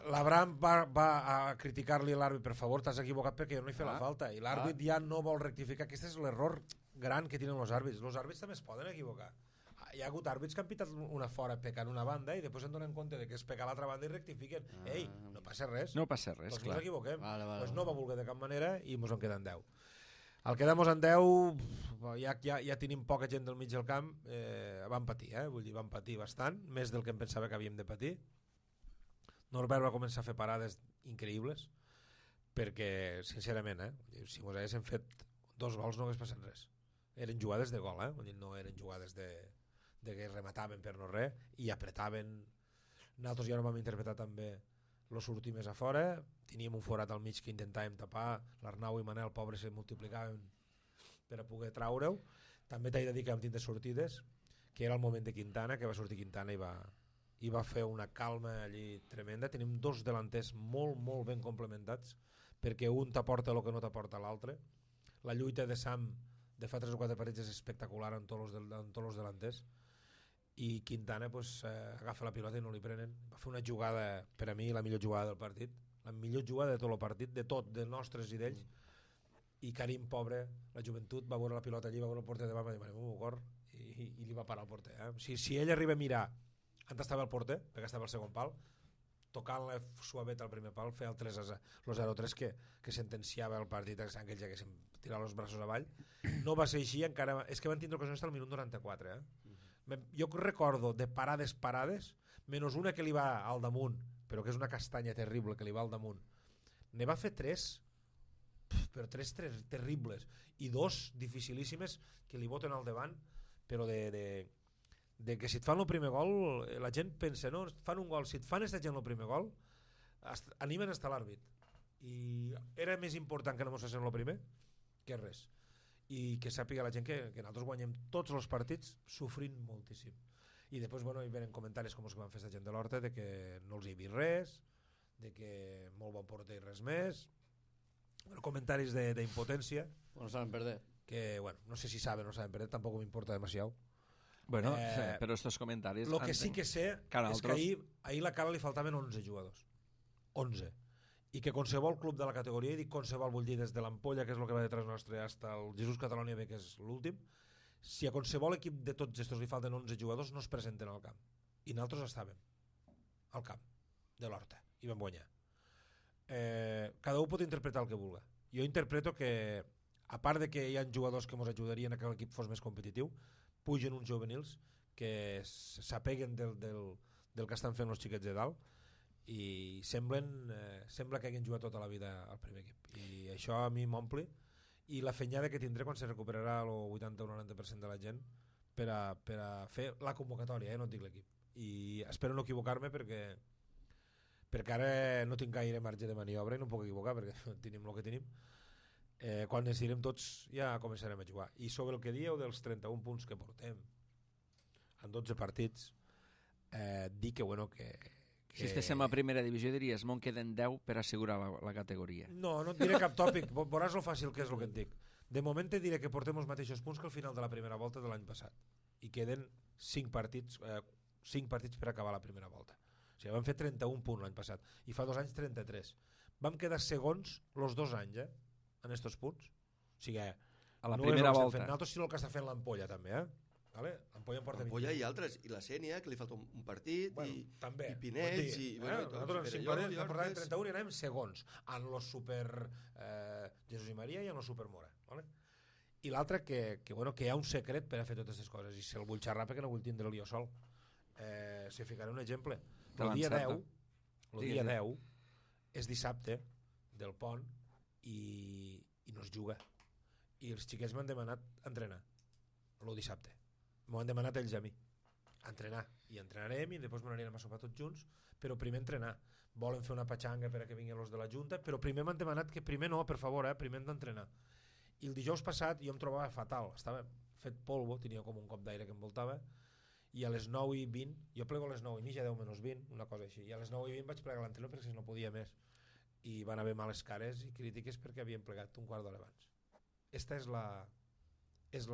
L'Abraham va a criticar-li a l'àrbit, per favor, t'has equivocat perquè jo no he fet la falta. I l'àrbit ja no vol rectificar. Aquest és l'error gran que tenen els àrbits. Els àrbits també es poden equivocar. Hi ha hagut àrbits que han pitat una fora pecant una banda i després en donen compte de que és pecar l'altra banda i rectifiquen. Ei, no passa res. No passa res, doncs clar. Ens equivoquem. Vale. No va voler de cap manera i ens en queden 10. Al quedar-nos en 10, ja tenim poca gent del mig del camp, van patir, vull dir, van patir bastant, més del que em pensava que havíem de patir. Norbert va començar a fer parades increïbles, perquè, sincerament, si mos haguéssim fet 2 gols no hagués passat res. Eren jugades de gol, vull dir, no eren jugades de que remataven per no res, i apretaven. Nosaltres ja no vam interpretar també lo sortir més a fora, teníem un forat al mig que intentàvem tapar, l'Arnau i Manel, pobres, se multiplicaven per a poder traure-ho. També t'he de dir que vam tindre sortides, que era el moment de Quintana, que va sortir Quintana i va fer una calma allí tremenda. Tenim 2 delanters molt ben complementats, perquè un t'aporta el que no t'aporta l'altre. La lluita de Sam de fa 3 o 4 partits és espectacular en tots els delanters, i Quintana agafa la pilota i no li prenen. Va fer una jugada, per a mi, la millor jugada del partit, la millor jugada de tot el partit, de nostres i d'ells. I Karim, pobre, la joventut, va veure la pilota allí, va veure el porter davant, va dir, i li va parar el porter. Si ell arriba a mirar on estava el porter, perquè estava al segon pal, tocant-la suavet al primer pal, feia el 0-3 que sentenciava el partit, que ells haguessin tirat els braços avall. No va ser així, encara, és que van tindre ocasions al minut 94, Jo recordo de parades, menys una que li va al damunt, però que és una castanya terrible que li va al damunt. Ne va fer 3, però 3 terribles, i 2 dificilíssimes que li boten al davant, però de que si et fan el primer gol, la gent pensa, no, fan un gol, si et fan aquesta gent el primer gol, animen a estar l'àrbit. I era més important que no mos facin el primer que res. I que sàpiga la gent que nosaltres guanyem tots els partits sofrint moltíssim. I després hi venen comentaris com els que van fer la gent de l'Horta, de que no els hi he vist res, de que molt bon porter i res més, comentaris d'impotència, no saben perder, que no sé si saben o no saben perder, tampoc m'importa demasiado. Però estos comentaris... Lo que sí que sé és que ahir la Cala li faltaven 11 jugadors, 11, i que qualsevol club de la categoria, i dic qualsevol, vull dir des de l'Ampolla, que és el que va detrás nostre, fins al Jesús Catalònia B, que és l'últim, si a qualsevol equip de tots estos li falten 11 jugadors, no es presenten al camp. I nosaltres estàvem al camp de l'Horta i vam guanyar. Cada un pot interpretar el que vulgui. Jo interpreto que, a part de que hi ha jugadors que ens ajudarien a que l'equip fos més competitiu, pugen uns juvenils que s'apeguen del que estan fent els xiquets de dalt, i sembla que hagin jugat tota la vida al primer equip, i això a mi m'omple, i la fenyada que tindré quan se recuperarà el 80 o 90% de la gent per a fer la convocatòria, no et dic l'equip, i espero no equivocar-me perquè ara no tinc gaire marge de maniobra i no em puc equivocar perquè tenim el que tenim. Quan ens direm tots ja començarem a jugar. I sobre el que dieu dels 31 punts que portem en 12 partits, dir que si estéssim a primera divisió diries me'n queden 10 per assegurar la categoria. No et diré cap tòpic, veuràs lo fàcil que és el que et dic. De moment te diré que portem els mateixos punts que al final de la primera volta de l'any passat, i queden 5 partits per acabar la primera volta. O sigui, vam fer 31 punts l'any passat i fa 2 anys 33. Vam quedar segons els 2 anys en estos punts. O sigui, a la primera volta. Nosaltres sí el que està fent l'Ampolla també, Vale? L'Ampolla i altres, i la Sènia, que li falta un partit, també, i Pinets, nosaltres en 5 partits vam portar 31 i anàvem segons en los super Jesús i Maria i en los super Mora, vale? I l'altre que hi ha un secret per a fer totes aquestes coses, i se'l vull xerrar perquè no vull tindre-li jo sol. Si ficaré un exemple, el dia 10 és dissabte del pont i no es juga, i els xiquets m'han demanat entrenar el dissabte. M'ho han demanat ells a mi, entrenar, i entrenarem i després m'anirem a sopar tots junts, però primer entrenar. Volen fer una patxanga per a que vinguin els de la Junta, però primer m'han demanat que primer no, per favor, primer hem d'entrenar. I el dijous passat jo em trobava fatal, estava fet polvo, tenia com un cop d'aire que em voltava, i a les 9:20, jo plego a les 9:30, 10 menys 20, una cosa així, i a les 9:20 vaig plegar l'entrenador perquè no podia més, i van haver males cares i crítiques perquè havien plegat un quart d'hora abans. Esta és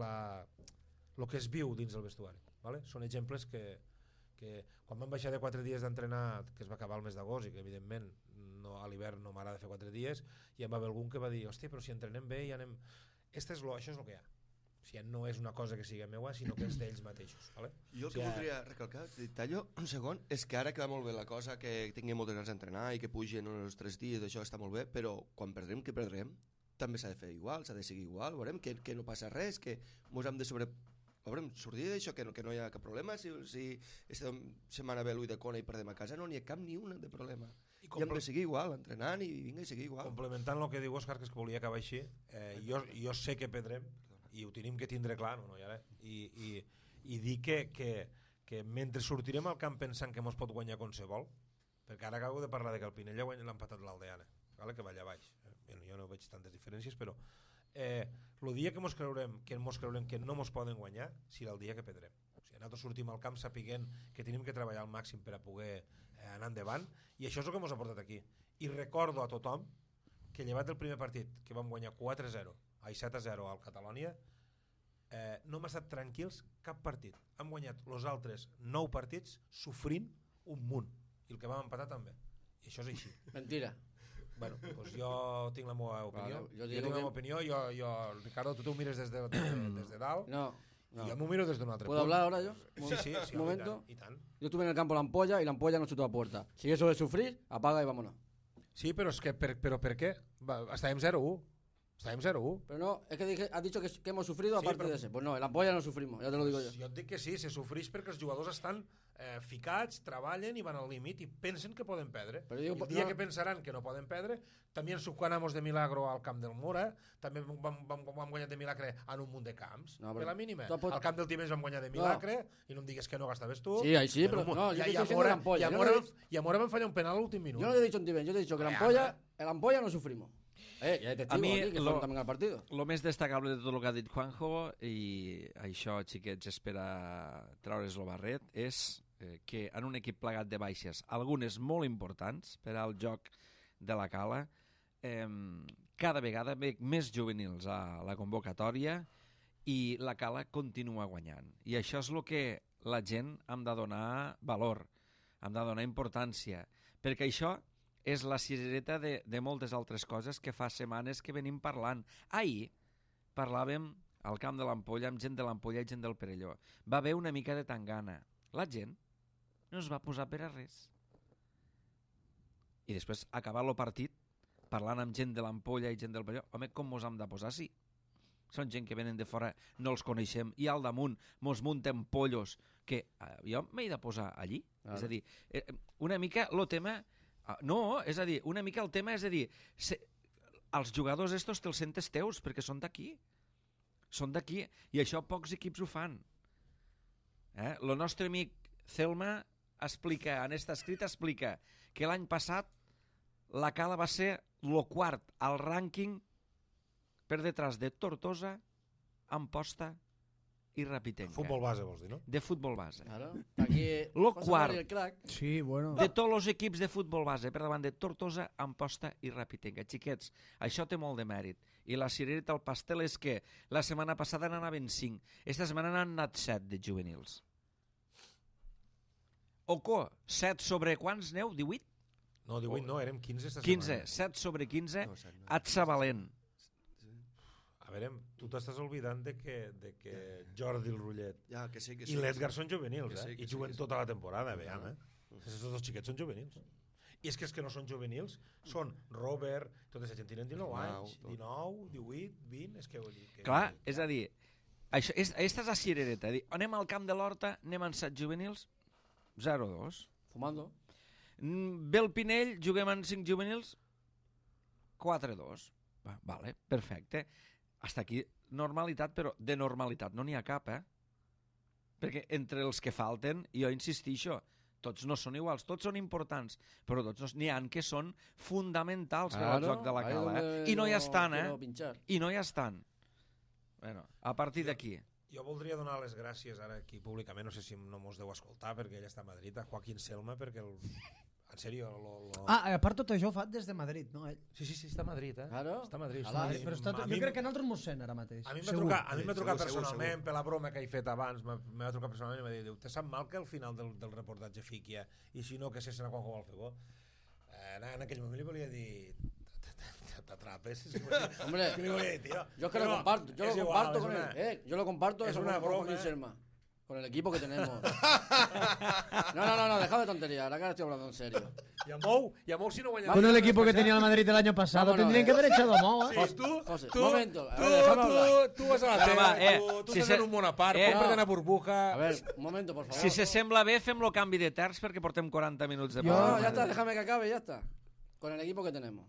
el que es viu dins del vestuari. ¿Vale? Són exemples que quan vam baixar de 4 dies d'entrenar, que es va acabar el mes d'agost i que evidentment a l'hivern no m'agrada fer 4 dies, i em va haver algun que va dir, hòstia, però si entrenem bé i anem... Això és el que hi ha. O sigui, no és una cosa que sigui meua, sinó que és d'ells mateixos. ¿Vale? Jo el que voldria recalcar, tallo un segon, és que ara que va molt bé la cosa, que tinguem moltes ganes d'entrenar i que pugen els 3 dies, això està molt bé, però quan perdrem, que perdrem, també s'ha de fer igual, s'ha de seguir igual, veurem que no passa res, que ens hem de veurem, sortir d'això, que no hi ha cap problema, si aquesta setmana ve l'ull de Cona i perdem a casa, no n'hi ha cap ni un de problema. I hem de seguir igual, entrenant i vinga i seguir igual. Complementant el que diu Òscar, que és que volia acabar així, jo sé que perdrem, i ho tenim que tindre clar, i dir que mentre sortirem al camp pensant que mos pot guanyar qualsevol, perquè ara acabo de parlar de que el Pinella l'ha empatat l'Aldeana, que va allà baix, jo no veig tantes diferències, però el dia que mos creurem que no mos poden guanyar serà el dia que perdrem. O sigui, nosaltres sortim al camp sapiguent que tenim que treballar al màxim per a poder anar endavant, i això és el que mos ha portat aquí. I recordo a tothom que llevat del primer partit, que vam guanyar 7-0 al Catalònia, no hem estat tranquils cap partit. Hem guanyat els altres 9 partits sofrint un munt, i el que vam empatar també. I això és així. Mentira. Bueno, doncs jo tinc la meva opinió. Jo tinc la meva opinió. Ricardo, tu t'ho mires des de dalt. No. Y yo me miro desde un otro ¿Puedo hablar ahora yo? Sí, un momento. y tan. Yo estuve en el campo La Ampolla y La Ampolla no chutó a puerta. Si eso es sufrir, apaga y vámonos. Sí, pero es que ¿pero por qué? Estàvem 0-1. Estàvem 0-1. Pero no, es que has dicho que hemos sufrido aparte de ese. Pues no, en La Ampolla no sufrimos, ya te lo digo yo. Jo et dic que sí, se sofreix perquè els jugadors estan ficats, treballen i van al límit i pensen que poden perdre. Però digo, el dia que pensaran que no poden perdre, també ens ganamos de milagro al camp del Mura, també vam guanyar de milagre en un munt de camps, de la mínima. Al camp del Tivenys vam guanyar de milagre, i no em digues que no gastaves tu. Sí, ahí sí, pero no, yo te estoy diciendo La Ampolla. I a Mora vam fallar un penal a l'últim minut. Yo no te he dicho en Tivenys, yo te he dicho que La Ampolla no sufrimos. Ya te digo aquí que fueron también al partido. Lo més destacable de tot el que ha dit Juanjo, i això, xiquets, és per a traure's el barret, és que en un equip plegat de baixes, algunes molt importants per al joc de la Cala, cada vegada ve més juvenils a la convocatòria i la Cala continua guanyant. I això és el que la gent hem de donar valor, hem de donar importància, perquè això és la cirereta de moltes altres coses que fa setmanes que venim parlant. Ahir parlàvem al camp de l'Ampolla amb gent de l'Ampolla i gent del Perelló. Va haver una mica de tangana. La gent no es va posar per a res. I després, acabar el partit, parlant amb gent de l'Ampolla i gent del Perelló, home, com mos hem de posar? Sí. Són gent que venen de fora, no els coneixem, i al damunt mos munten pollos, que jo m'he de posar allí. És a dir, una mica el tema... No, és a dir, una mica el tema és a dir, els jugadors estos te'ls sentes teus perquè són d'aquí. Són d'aquí, i això pocs equips ho fan. El nostre amic Celma explica, en esta escrit explica que l'any passat la Cala va ser el quart al rànquing per detrás de Tortosa, Amposta i Rapitenca. Futbol base, vols dir, no? De futbol base. Claro. Aquí lo quart sí, bueno. de tots els equips de futbol base per davant de Tortosa, Amposta i Rapitenca. Xiquets, això té molt de mèrit. I la cirereta al pastel és que la setmana passada n'anaven 5. Esta setmana n'han anat 7 de juvenils. Oco, 7 sobre quants neu? 18? No, 18 no, érem 15 esta 15, setmana. 7 sobre 15, Atzavalent. A veure, tu t'estàs oblidant de que Jordi el Rullet i l'Edgar són juvenils, i juguen tota la temporada, veiem, Aquests dos xiquets són juvenils. I és que no són juvenils, són Robert, tota aquesta gent tenen 19 anys, 19, 18, 20, és que... Clar, és a dir, aquesta és la cirereta. Anem al camp de l'Horta, anem en 7 juvenils, 0-2. Fumando. Ve el Pinell, juguem en 5 juvenils, 4-2. Vale, perfecte. Hasta aquí normalitat, però de normalitat no n'hi ha cap, Perquè entre els que falten, jo insistixo, tots no són iguals, tots són importants, però tots n'hi ha que són fonamentals per al joc de la Cala, I no hi estan, I no hi estan. Bueno, a partir d'aquí. Jo voldria donar les gràcies ara aquí públicament, no sé si no mos deu escoltar perquè ell està a Madrid, a Joaquín Selma, perquè En sèrio. A part tot això ho fa des de Madrid, no? Ell. Sí, està a Madrid, Claro. Està a Madrid. Però jo crec que a nosaltres mos sent ara mateix. A mi m'ha trucat personalment per la broma que he fet abans, m'ha trucat personalment i m'ha dit, te sap mal que al final del reportatge fiqui i si no que se serà quan ho vol fer bo? En aquell moment li volia dir t'atrapes. Hombre, yo que lo comparto con él. Yo lo comparto es una broma. Con el equipo que tenemos. No, deja de tontería, ahora que estoy hablando en serio. Y a Mou si no guanya. Con el equipo que tenía el Madrid el año pasado, tendrían que haber echado a Mou, Sí, José, tu momento, tu vas a la teva, tu estàs en un món a part, compra't una burbuja. A ver, un momento, por favor. Si se sembla bé, fem-lo canvi de terç perquè portem 40 minuts de No, ya está, déjame que acabe, ya está. Con el equipo que tenemos.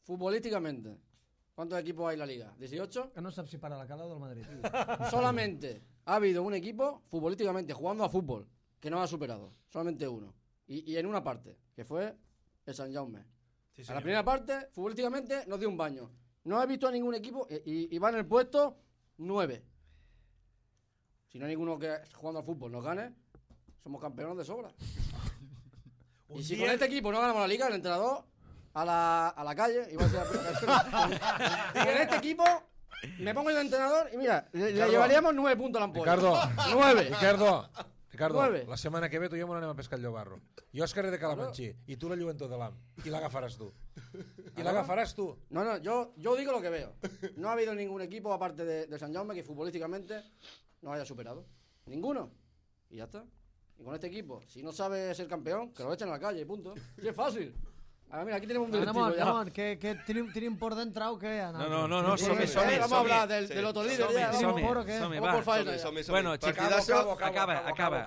Futbolísticamente, ¿cuántos equipos hay en la liga? ¿18? Que no sabes si para la Cala o del Madrid. Solamente ha habido un equipo, futbolísticamente, jugando a fútbol, que no ha superado. Solamente uno. Y en una parte, que fue el San Jaume. Sí, a la primera parte, futbolísticamente, nos dio un baño. No he visto a ningún equipo y va en el puesto 9. Si no hay ninguno que jugando al fútbol nos gane, somos campeones de sobra. Y si con este equipo no ganamos la liga, el entrenador a la calle y con este equipo me pongo yo de entrenador y mira, le llevaríamos 9 puntos a la ampolla. 9. Ricardo, la setmana que ve tu i jo m'anem a pescar el Llobarro. Jo és carrer de Calamanxí i tu la Lluentor de l'Am i l'agafaràs tu. No, yo digo lo que veo. No ha habido ningún equipo aparte de San Jaume que futbolísticamente nos haya superado. Ninguno. Y ya está. Y con este equipo, si no sabe ser campeón, que lo echen a la calle, punto. Sí, es fácil. A ver, mira, aquí tenemos un directivo ya. Ramon, que tenim por dentro o què? No, som-hi. Vamos a hablar del otro líder ya. Som-hi, va. Bueno, acaba.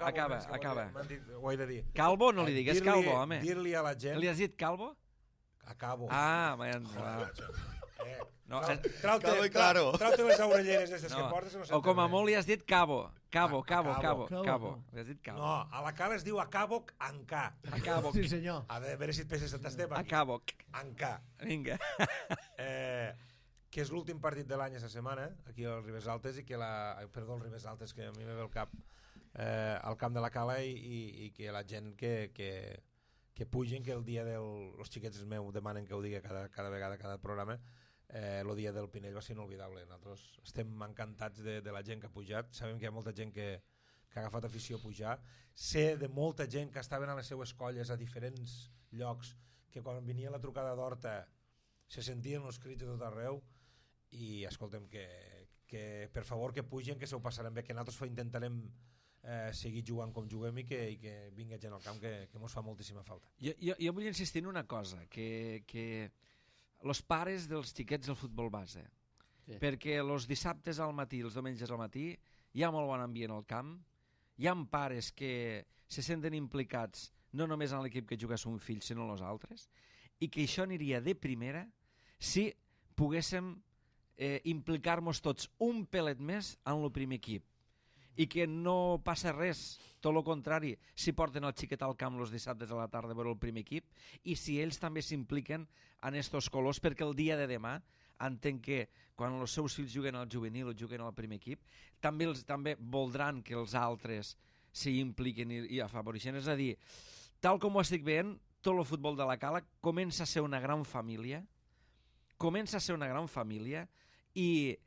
Ho he de dir. Calvo, no li digues Calvo, home. Dir-li a la gent... Li has dit Calvo? Acabo. No, trau-te les orelleres aquestes que portes. O com a molt li has dit Cabo. Cabo. Li has dit Cabo. No, a la Cala es diu Acaboc Ancà. Acaboc. Sí, senyor. A veure si et peses el tastem aquí. Acaboc. Ancà. Vinga. Que és l'últim partit de l'any a la setmana, aquí al Ribes Altes, i que perdó, al Ribes Altes, que a mi me ve el cap, al camp de la Cala, i que la gent que pugen, que el dia els xiquets meus demanen que ho digui cada vegada, cada programa, el dia del Pinell va ser inolvidable. Nosaltres estem encantats de la gent que ha pujat, sabem que hi ha molta gent que ha agafat afició a pujar, sé de molta gent que estaven a les seues colles a diferents llocs, que quan venia la trucada d'Horta se sentien els crits de tot arreu, i escoltem que per favor que pugen, que se ho passarem bé, que nosaltres intentarem seguir jugant com juguem i que vingui gent al camp, que mos fa moltíssima falta. Jo vull insistir en una cosa, que els pares dels xiquets del futbol base, perquè els dissabtes al matí, els diumenges al matí, hi ha molt bon ambient al camp, hi ha pares que se senten implicats no només en l'equip que juga son fill, sinó en els altres, i que això aniria de primera si poguéssim implicar-nos tots un pelet més en el primer equip, i que no passa res, tot el contrari, si porten el xiquet al camp els dissabtes a la tarda a veure el primer equip, i si ells també s'impliquen en estos colors, perquè el dia de demà entenc que quan els seus fills juguen al juvenil o juguen al primer equip, també voldran que els altres s'hi impliquen i afavoreixen. És a dir, tal com ho estic veient, tot el futbol de la Cala comença a ser una gran família, i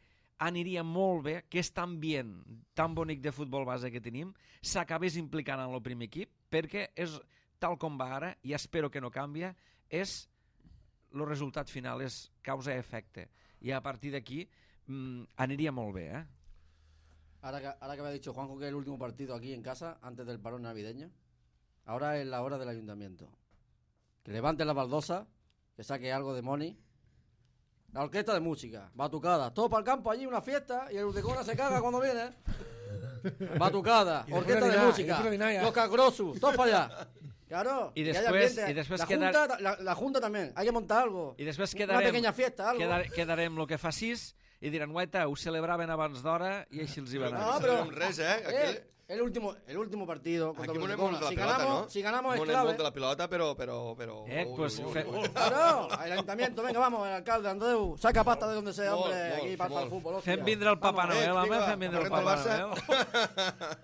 aniria molt bé que aquest ambient tan bonic de futbol base que tenim s'acabés implicant en el primer equip, perquè és tal com va ara, i espero que no canvia, és el resultat final, és causa-efecte, i a partir d'aquí aniria molt bé, eh? Ahora que había dicho Juanjo que es el último partido aquí en casa antes del parón navideño, ahora es la hora del ayuntamiento. Que levante la baldosa, que saque algo de money. La orquesta de música, batucada, todo para el campo allí, una fiesta, y el Urdecona se caga cuando viene. Batucada, orquesta de música, los cagrosus, todos para allá. Claro, y después la junta también, hay que montar algo. I després una pequeña fiesta, algo. Quedarem lo que facis i diran, guaita, ho celebraven abans d'hora i així els hi va anar. No, però res, el último partido contra Aquí el monemos de la pelota, ¿no? Si ganamos es Monemos clave. de la pelota, pero... Pues... Claro, el ayuntamiento, venga, vamos, el alcalde, Andreu, saca pasta de donde sea, hombre, aquí para el fútbol. Fem vindre el Papa Noel, home, fem vindre el Papa Barça.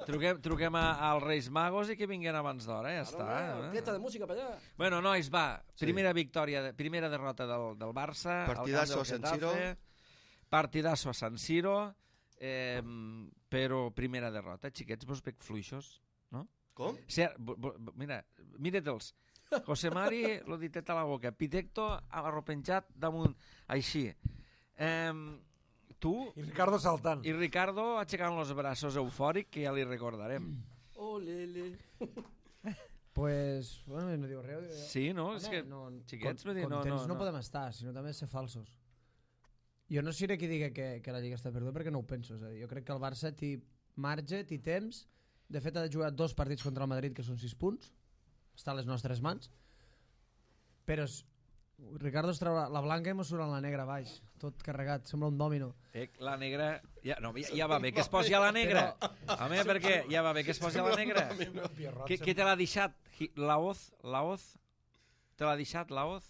Noel. Truquem als Reis Magos i que vinguin abans d'hora, ja està. Orquesta de música per allà. Bueno, nois, va, primera derrota del Barça. Partidazo a San Siro. Partidazo a San Siro, però primera derrota. Xiquets, vos veig fluixos, no? Com? Mira-te'ls. José Mari, lo ditet a la boca. Pitecto arropenjat damunt, així. Tu... I Ricardo saltant. I Ricardo aixecant los braços eufòric, que ja li recordarem. Olele. Pues, bueno, no diu res. Sí, no? És que, xiquets, contents no podem estar, sinó també ser falsos. Jo no seré qui digui que la Lliga està perduda perquè no ho penso. És a dir, jo crec que el Barça té marge, té temps. De fet, ha de jugar 2 partits contra el Madrid, que són 6 punts. Està a les nostres mans. Però Ricardo es treu la blanca i mos surt la negra baix. Tot carregat, sembla un dòmino. La negra... Ja va bé que es posi a la negra. Home, perquè ja va bé que es posi a la negra. Què te l'ha deixat? La hoz? Te l'ha deixat la hoz?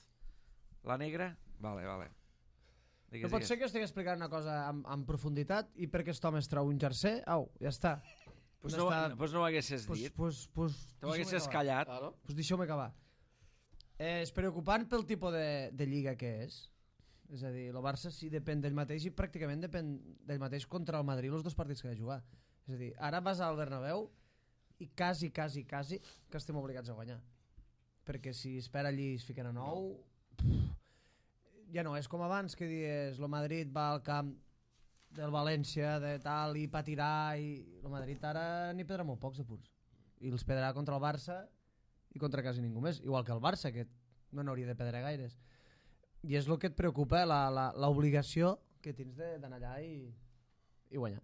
La negra? Vale. No pot ser que estigui explicant una cosa amb profunditat i perquè aquest home es treu un jersei, ja està. Pues no ho haguessis dit. Te ho haguessis callat. Pues deixeu-me acabar. És preocupant pel tipus de lliga que és. És a dir, el Barça sí depèn d'ell mateix i pràcticament depèn d'ell mateix contra el Madrid els 2 partits que ha de jugar. És a dir, ara vas al Bernabéu i quasi que estem obligats a guanyar. Perquè si espera allí es fiquen a 9... Ja no, és com abans que dius el Madrid va al camp del València de tal i patirà i el Madrid ara n'hi perdrà molt pocs de punts i els perdrà contra el Barça i contra quasi ningú més, igual que el Barça que no n'hauria de perdre gaires i és el que et preocupa, l'obligació que tens d'anar allà i guanyar,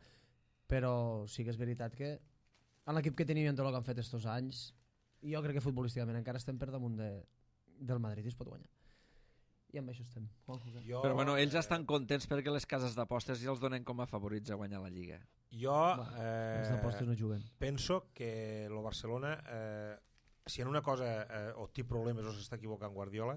però sí que és veritat que en l'equip que teníem tot el que han fet estos anys i jo crec que futbolísticament encara estem per damunt del Madrid i es pot guanyar. I amb això estem. Però bueno, ells estan contents perquè les cases d'apostes ja els donen com a favorits a guanyar la Lliga. Jo les d'apostes no juguen. Penso que el Barcelona, si en una cosa o té problemes o s'està equivocant Guardiola,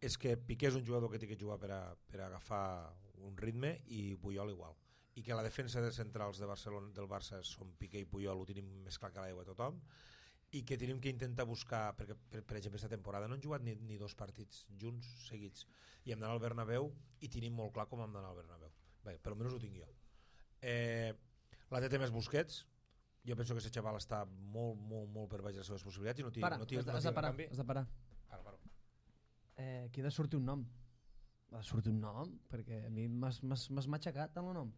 és que Piqué és un jugador que té que jugar per agafar un ritme i Puyol igual. I que la defensa de centrals de Barcelona, del Barça són Piqué i Puyol, ho tenim més clar que l'aigua a tothom, i que tenim que intentar buscar, perquè per exemple aquesta temporada no han jugat ni 2 partits junts seguits i hem d'anar al Bernabéu i tenim molt clar com hem d'anar al Bernabéu. Bé, per almenys ho tinc jo. La té més Busquets, jo penso que aquest xaval està molt per baix de les seves possibilitats i no té canvi. Has de parar. Para. Aquí ha de sortir un nom. Ha de sortir un nom, perquè a mi m'has matxacat amb el nom.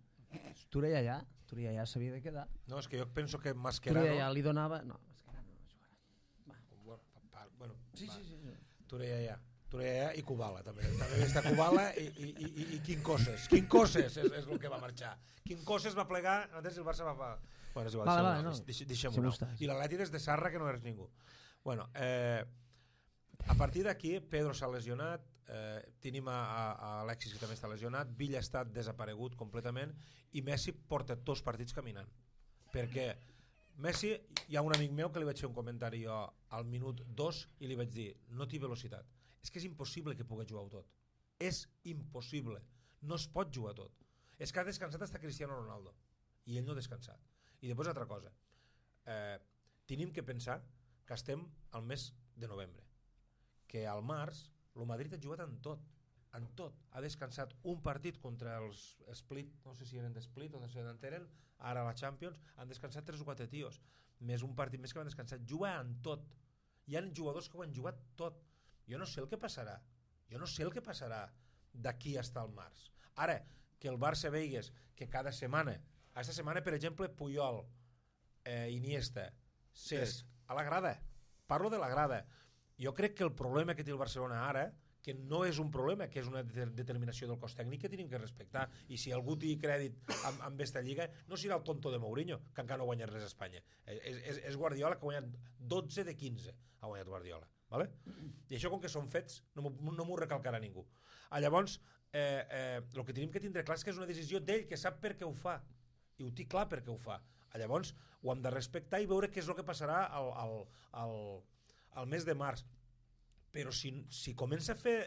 Tureyaya s'havia de quedar. No, és que jo penso que Mascherano... Tureyaya li donava... No, bueno, sí. Tureyaya i Kubala també està Kubala i Quincoses és el que va marxar. Quincoses va plegar, antes el Barça va... Bueno, és igual, deixem-ho no. I l'Atlètic és de Sarra, que no eres ningú. Bueno, a partir d'aquí Pedro s'ha lesionat, tenim a Alexis que també està lesionat, Villa ha estat desaparegut completament i Messi porta 2 partits caminant, perquè Messi, hi ha un amic meu que li vaig fer un comentari jo al minut 2 i li vaig dir, no té velocitat, és que és impossible que pugui jugar tot, és impossible, no es pot jugar tot, és que ha descansat hasta Cristiano Ronaldo i ell no ha descansat. I després altra cosa, tenim que pensar que estem al mes de novembre, que al març el Madrid ha jugat en tot, ha descansat un partit contra els Split, no sé si eren d'Split o no sé d'on eren, ara a la Champions han descansat 3 o 4 tios, més un partit més que van descansar, juga en tot, hi ha jugadors que ho han jugat tot, jo no sé el que passarà d'aquí fins al març. Ara, que el Barça veigues que cada setmana, aquesta setmana per exemple Puyol, Iniesta, Cesc, a la grada, parlo de la grada, jo crec que el problema que té el Barcelona ara, que no és un problema, que és una determinació del cos tècnic que tenim que respectar, i si algú té crèdit amb aquesta lliga no serà el tonto de Mourinho, que encara no ha guanyat res a Espanya, és Guardiola, que ha guanyat 12 de 15 ha guanyat Guardiola, vale? I això com que són fets no m'ho recalcarà ningú. Llavors el que tenim que tindre clar és que és una decisió d'ell, que sap per què ho fa i ho té clar per què ho fa. Llavors ho hem de respectar i veure què és el que passarà al mes de març. Però si comença a fer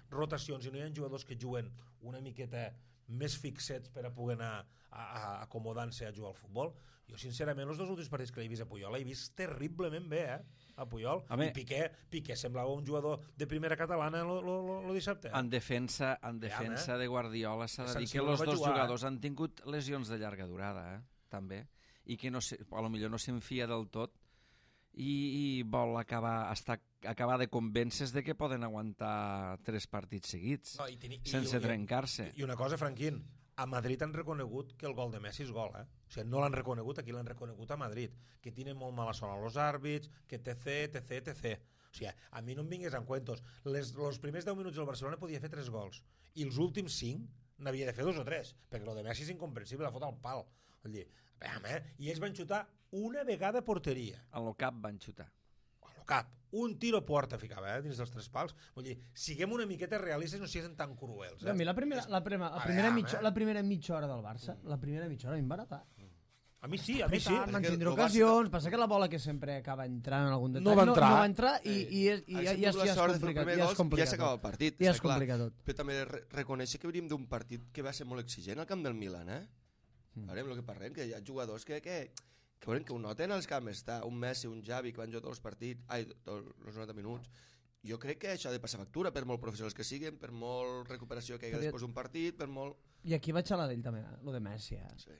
rotacions i no hi ha jugadors que juguen una miqueta més fixets per a poder anar acomodant-se a jugar al futbol, jo sincerament els 2 últims partits que l'he vist a Puyol l'he vist terriblement bé, a Puyol. I Piqué semblava un jugador de primera catalana el dissabte. En defensa de Guardiola s'ha de dir que els 2 jugadors han tingut lesions de llarga durada, també, i que potser no s'enfia del tot i vol acabar de convèncer de que poden aguantar 3 partits seguits sense trencar-se. I una cosa, Franquín, a Madrid han reconegut que el gol de Messi és gol, O sigui, no l'han reconegut, aquí l'han reconegut a Madrid, que tienen molt mala sona els àrbits, que etc. O sigui, a mi no em vingués en cuentos. Els primers 10 minuts del Barcelona podia fer 3 gols, i els últims 5 n'havia de fer 2 o 3, perquè el de Messi és incomprensible, la fot al pal. Vull dir, i ells van xutar una vegada a porteria. A lo cap van xutar. A lo cap. Un tiro a porta ficava, dins dels 3 pals. Vull dir, siguem una miqueta realistes i no siguem tan cruels. A mi la primera mitja hora del Barça, la primera mitja hora a mi em va agradar. A mi sí. Van tindre ocasions, passa que la bola que sempre acaba entrant en algun detall no va entrar i ja és complicat. Ja s'acaba el partit. Ja és complicat tot. Però també reconèixer que venim d'un partit que va ser molt exigent al camp del Milan, Veurem el que parlem, que hi ha jugadors que ho noten als camps, està un Messi, un Xavi, que van jugar tots els partits, els 90 minuts. Jo crec que això ha de passar factura, per molt professionals que siguin, per molt recuperació que hi ha després d'un partit, per molt... I aquí vaig a la d'ell també, lo de Messi. Sí.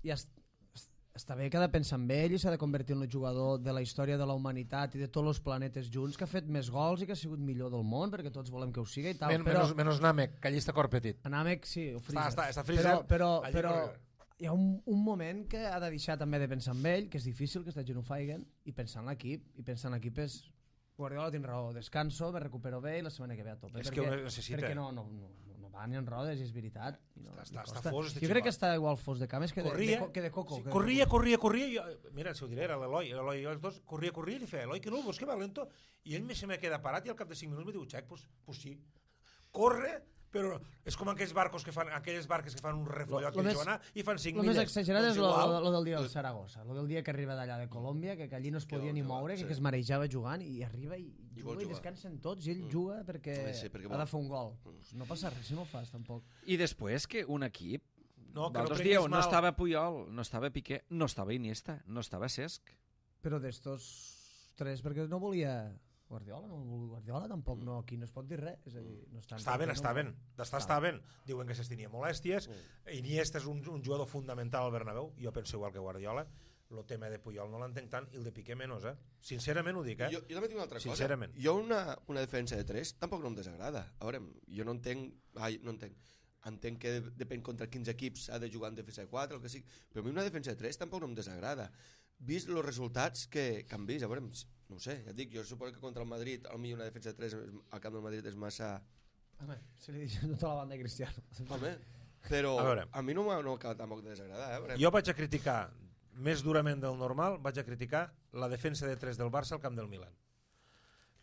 I està bé que ha de pensar en ell i s'ha de convertir en el jugador de la història de la humanitat i de tots els planetes junts, que ha fet més gols i que ha sigut millor del món, perquè tots volem que ho sigui i tal. Menys Namek, que allí està cor petit. Namek, sí, ho frisa. Està frisa. Però hi ha un moment que ha de deixar també de pensar en ell, que és difícil, que està gent ho faiguen, i pensar en l'equip. I pensar en l'equip és... Guardiola tinc raó, descanso, me recupero bé i la setmana que ve a tope. És que ho necessita. Perquè no va ni en rodes, i és veritat. Està fos, jo crec que està igual fos de cames que de Coco. Corria. Mira, si ho diré, era l'Eloi i els dos, corria, i li feia, Eloi, que no, vos que va lento. I ell se me queda parat i al cap de 5 minuts me diu, xec, pues sí. Corre, però és com aquelles barques que fan un refollot que juguen i fan 5 milles. El més exagerat és lo del dia del Saragossa, lo del dia que arriba d'allà de Colòmbia, que allí no es podia ni moure, que es marejava jugant, i arriba i juga i descansen tots, i ell juga perquè ha de fer un gol. No passa res si no ho fas, tampoc. I després que un equip... Vosaltres dieu, no estava Puyol, no estava Piqué, no estava Iniesta, no estava Cesc. Però d'estos 3, perquè no volia... Guardiola tampoc, no, aquí no es pot dir res, és a dir, no està ben. Diuen que s'estinia molèsties. Iniesta és un jugador fundamental al Bernabéu, jo penso igual que Guardiola. El tema de Puyol no l'entenc tant i el de Piqué menys, sincerament ho dic, Jo també tinc una altra cosa. Jo una defensa de 3 tampoc no em desagrada. A veure, jo no entenc entenc que depèn contra quins equips ha de jugar en defensa de 4, el que sigui, però a mi una defensa de 3 tampoc no em desagrada. Vist els resultats que han vist, a veure, no ho sé, ja et dic, jo suposo que contra el Madrid potser una defensa de 3 al camp del Madrid és massa... Home, se li deixa tota la banda de Cristiano. Home, però a mi no m'acaba tampoc de desagradar. Jo vaig a criticar, més durament del normal, vaig a criticar la defensa de 3 del Barça al camp del Milan.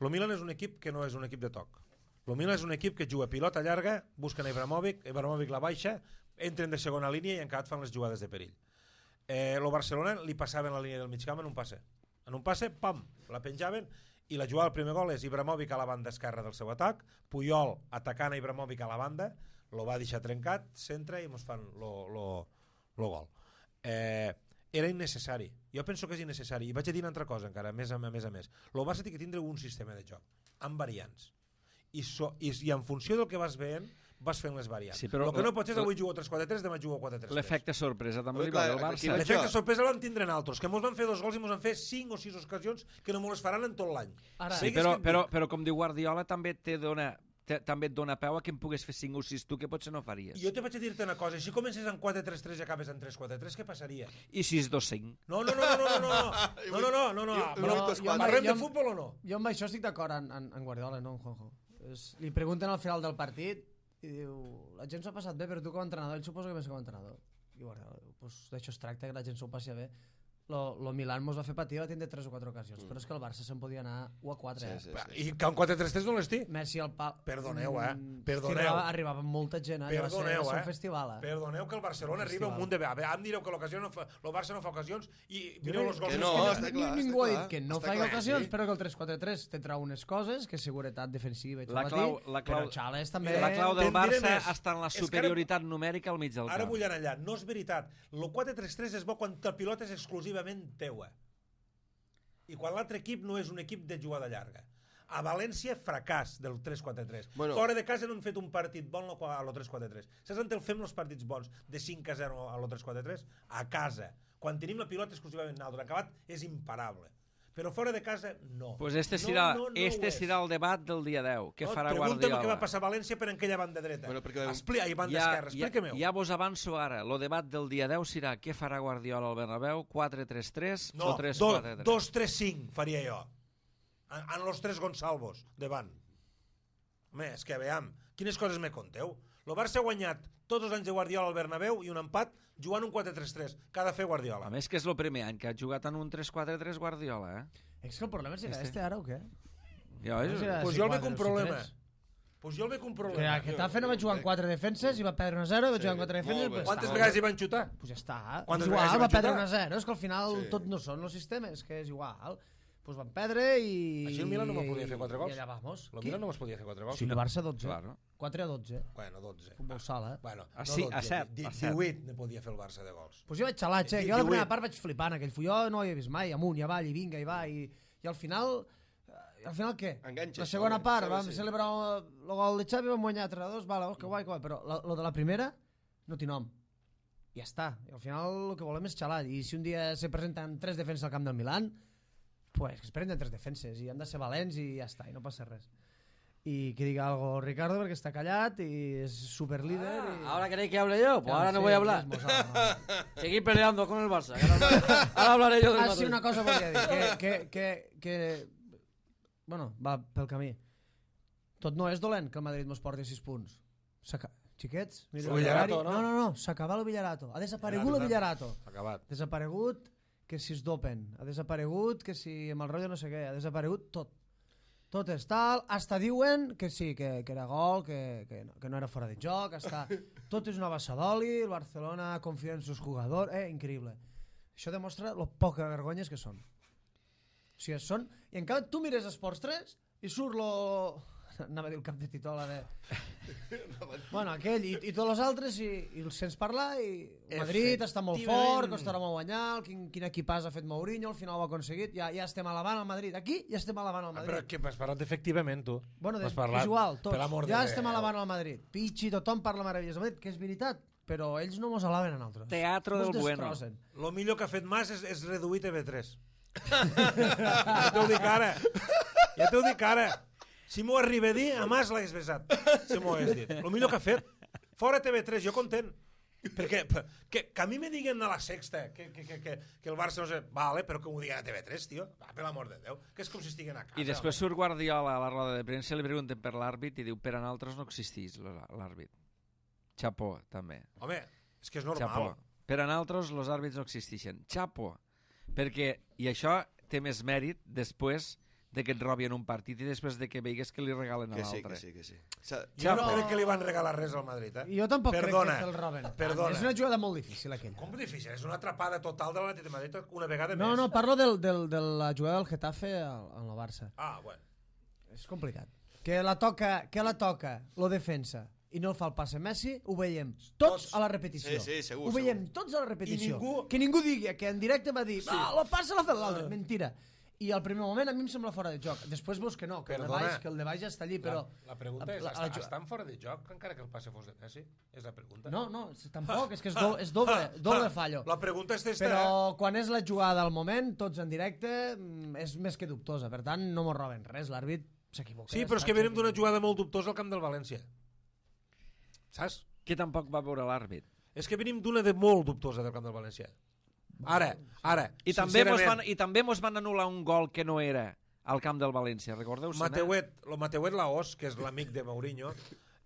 El Milan és un equip que no és un equip de toc. El Milan és un equip que juga pilota llarga, busquen Ibrahimovic la baixa, entren de segona línia i encara fan les jugades de perill. El Barcelona li passaven la línia del mig camp en un passe, pam, la penjaven i la jugada del primer gol és Ibrahimovic a la banda esquerra del seu atac, Puyol atacant a Ibrahimovic a la banda, lo va deixar trencat, centra i ens fan lo gol. Era innecessari, jo penso que és innecessari, i vaig a dir una altra cosa encara, a més. El Barça té que tindre un sistema de joc amb variants i en funció del que vas veient vas fent les variants. Sí, el que no pots és avui jugo 3-4-3, demà jugo 4-3-3. L'efecte sorpresa també li va del Barça. L'efecte sorpresa el van tindre en altres, que mos van fer 2 gols i mos van fer 5 o 6 ocasions que no mos les faran en tot l'any. Sí, però com diu Guardiola també també et dona peu a que em pogués fer 5 o 6 tu, que potser no faries. Jo te vaig a dir-te una cosa, si comences en 4-3-3 i acabes en 3-4-3, què passaria? I 6-2-5? No. Parlem de futbol o no? Jo amb això estic d'acord en Guardiola, no en Juanjo. Li pregunten al final del partit i diu, la gent s'ho ha passat bé, però tu com a entrenador, ell suposa que més com a entrenador. I Guardiola diu, pues d'això es tracta, que la gent s'ho passi bé. lo Milan mos va fer patir, va tindre 3 o 4 ocasions, però és que el Barça se'n podia anar 1 a 4. I que un 4-3-3 no l'estí? Messi al pal... Perdoneu, perdoneu. Arribava molta gent, Perdoneu, va ser un festival. Perdoneu que el Barcelona arriba un munt de... A veure, em direu que el Barça no fa ocasions i mireu els gols. Que no, està clar. Ningú ha dit que no fa ocasions, però que el 3-4-3 tindrà unes coses, que seguretat defensiva, però Xales també... La clau del Barça està en la superioritat numèrica al mig del camp. Ara vull anar allà, no és veritat. El 4-3-3 és bo quan la pilota és exclusivament teua. I quan l'altre equip no és un equip de jugada llarga. A València, fracàs del 3-4-3. Fora de casa no han fet un partit bon a lo 3-4-3. Saps on el fem els partits bons de 5-0 a lo 3-4-3? A casa. Quan tenim la pilota exclusivament naltra. Acabat és imparable. Però fora de casa, no. Pues este serà el debat del dia 10. Què farà Guardiola? Pregunta'm què va passar a València per aquella banda dreta. I banda esquerra, explica-m'ho. Ja vos avanço ara. El debat del dia 10 serà què farà Guardiola al Bernabéu, 4-3-3 o 3-4-3? 2-3-5 faria jo. En los 3 Gonçalvos, davant. Home, és que veiem, quines coses me conteu? El Barça ha guanyat tots els anys de Guardiola al Bernabéu i un empat jugant un 4-3-3. Que ha de fer Guardiola. A més que és el primer any que ha jugat en un 3-4-3 Guardiola, És que el problema és ara o què? Pues jo el veig un problema. Que Getafe no va jugar en 4 defenses i va perdre 1-0 i va jugar en 4 defenses. Quantes vegades hi van xutar? Pues ja està. Quantes vegades va perdre 1-0. És que al final tot no són els sistemes, que és igual. Pues van perdre i... Així el Milan no podia fer 4 gols? I allà vamos. El Milan no podia fer 4 gols? Sí, el Barça 12. 4-12. Bueno, 12. Futbol sala. Bueno, a 7. 18 ne podia fer el Barça de gols. Pues jo vaig xalar, jo la primera part vaig flipant aquell full. Jo no ho havia vist mai, amunt i avall, i vinga, i va, i al final... Al final què? Enganxa, la segona part vam celebrar el gol de Xavi, vam guanyar 3-2, vale, que guai, però lo de la primera no té nom. Ja està. I al final el que volem és xalar. I si un dia se presenten 3 defenses al camp del Milan, pues que es prenen 3 defenses i han de ser valents i ja està, i no passa res. Y que diga algo Ricardo porque está callado y es super líder. ¿Ahora queréis que hable yo? Pues ahora no voy a hablar. Seguir peleando con el Barça. Ahora hablaré yo del Madrid. Así una cosa podria dir, que bueno, va pel camí. Tot no és dolent que el Madrid mos porti 6 punts. Xiquets? El Villarato, no? No, s'acaba el Villarato. Ha desaparegut el Villarato. S'ha acabat. Desaparegut que si es dopen. Ha desaparegut que si amb el rotllo no sé què. Ha desaparegut tot. Tot és tal, hasta diuen que sí, que era gol, que no era fora de joc, hasta... tot és una bassa d'oli, el Barcelona confia en sus jugadors, increïble. Això demostra lo poca vergonyes que són. O sigui, són... I encara tu mires Esports 3 i surt lo... Anava a dir el cap de titola de... Bueno, aquell i tots els altres i els sents parlar i Madrid està molt fort, costarà molt guanyar, quin equipàs ha fet Mourinho, al final ho ha aconseguit, ja estem alabant al Madrid. Aquí ja estem alabant al Madrid. Però que has parlat efectivament, tu. Bueno, és igual, tots. Ja estem alabant al Madrid. Pichi, tothom parla meravelles del Madrid, que és veritat, però ells no mos alaben a nosaltres. Teatro del bueno. Lo millor que ha fet Mas és reduir TV3. Ja t'ho dic ara. Ja t'ho dic ara. Si m'ho arriba a dir, a Mas l'hagués besat. Si m'ho hagués dit. El millor que ha fet. Fora TV3, jo content. Perquè que a mi me diguen a la Sexta que el Barça no sé... Vale, però que m'ho diguen a TV3, tio. Va, per l'amor de Déu. Que és com si estiguen a casa. I després surt Guardiola a la roda de premsa, li pregunten per l'àrbit i diu, per a nosaltres no existeix l'àrbit. Chapó, també. Home, és que és normal. Chapó. Per a nosaltres els àrbits no existeixen. Chapó. Perquè, i això té més mèrit després de que et robin un partit i després de que veigues que li regalen a l'altre. Que sí. Jo no crec que li van regalar res al Madrid, Jo tampoc crec que el roben. Perdona. És una jugada molt difícil, aquella. Com difícil? És una atrapada total de l'Atlètic de Madrid una vegada més. No, parlo de la jugada del Getafe en el Barça. Ah, bueno. És complicat. Que la toca, lo defensa, i no el fa el passe Messi, ho veiem tots a la repetició. Sí, segur. Ho veiem tots a la repetició. I que ningú digui que en directe va dir la passa l'ha fet l'altre. Mentira. I al primer moment a mi em sembla fora de joc. Després veus que no, que el de baix ja està allí, però... La pregunta és, estan fora de joc encara que el passe fos de Messi? És la pregunta. No, tampoc, és que és doble fallo. La pregunta és esta. Però quan és la jugada al moment, tots en directe, és més que dubtosa. Per tant, no mos roben res, l'àrbit s'equivoca. Sí, però és que venim d'una jugada molt dubtosa al camp del València. Saps? Que tampoc va veure l'àrbit. És que venim d'una de molt dubtosa del camp del València. Ara, I també mos van anul·lar un gol que no era al camp del València, recordeu-se? Mateuet Laos, que és l'amic de Mourinho,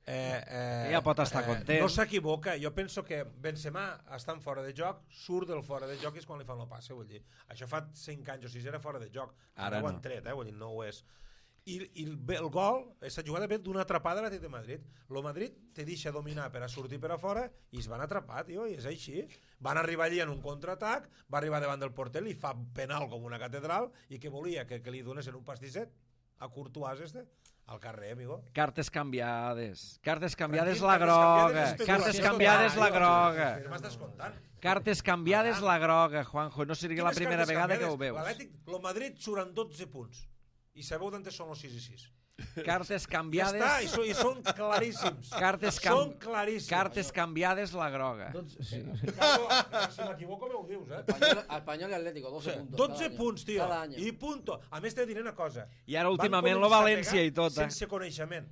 Ja pot estar content. No s'equivoca. Jo penso que Benzema està fora de joc, surt del fora de joc i és quan li fan el passe, vull dir. Això fa 5 anys o 6 era fora de joc. Ara ho han tret, vull dir, no ho és. I el gol, aquesta jugada ve d'una atrapada de l'Atlètic de Madrid. El Madrid te deixa dominar per a sortir per a fora i es van atrapar, tio, i és així. Van arribar allí en un contraatac, va arribar davant del porter, li fa penal com una catedral i que volia que li donessin un pastisset a Courtois al carrer, amigo. Cartes canviades. Cartes canviades la groga. Cartes canviades la groga. M'estàs contant. Cartes canviades la groga, Juanjo. No seria la primera vegada que ho veus. L'Atlètic, el Madrid suren 12 punts. I sabeu d'on són els 6 i 6. Cartes canviades... Ja està, i són claríssims. Són claríssims. Cartes canviades la groga. Si m'equivoco m'ho dius, Espanyol i Atlético, 12 punts. 12 punts, tio. I punto. A més t'he de dir una cosa. I ara últimament lo València i tot. Sense coneixement.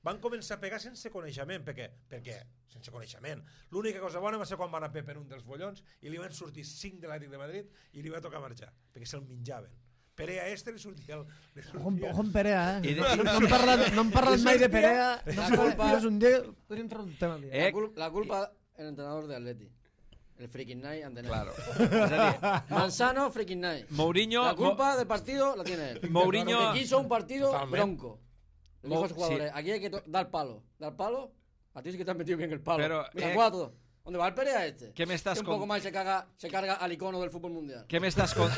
Van començar a pegar sense coneixement. Per què? Sense coneixement. L'única cosa bona va ser quan van a Pep en un dels follons i li van sortir 5 de l'Atlètic de Madrid i li va tocar marxar, perquè se'l menjaven. Perea li sortia el... Ojo Perea, No hem parlat mai de Perea. És un dia... Podríem treure un tema al dia. La culpa el entrenador de Atleti. El freaking night han tenido. Claro. Es decir, Manzano, freaking night. Mourinho... La culpa del partido la tiene él. Mourinho... Que quiso un partido bronco. Le dijo a sus jugadores, aquí hay que dar palo. Dar palo, a ti sí que te has metido bien el palo. Pero, mira, 4. ¿Dónde va el Perea este? ¿Qué me estás un poco más se carga al icono del fútbol mundial. ¿Qué me estás ¿Dónde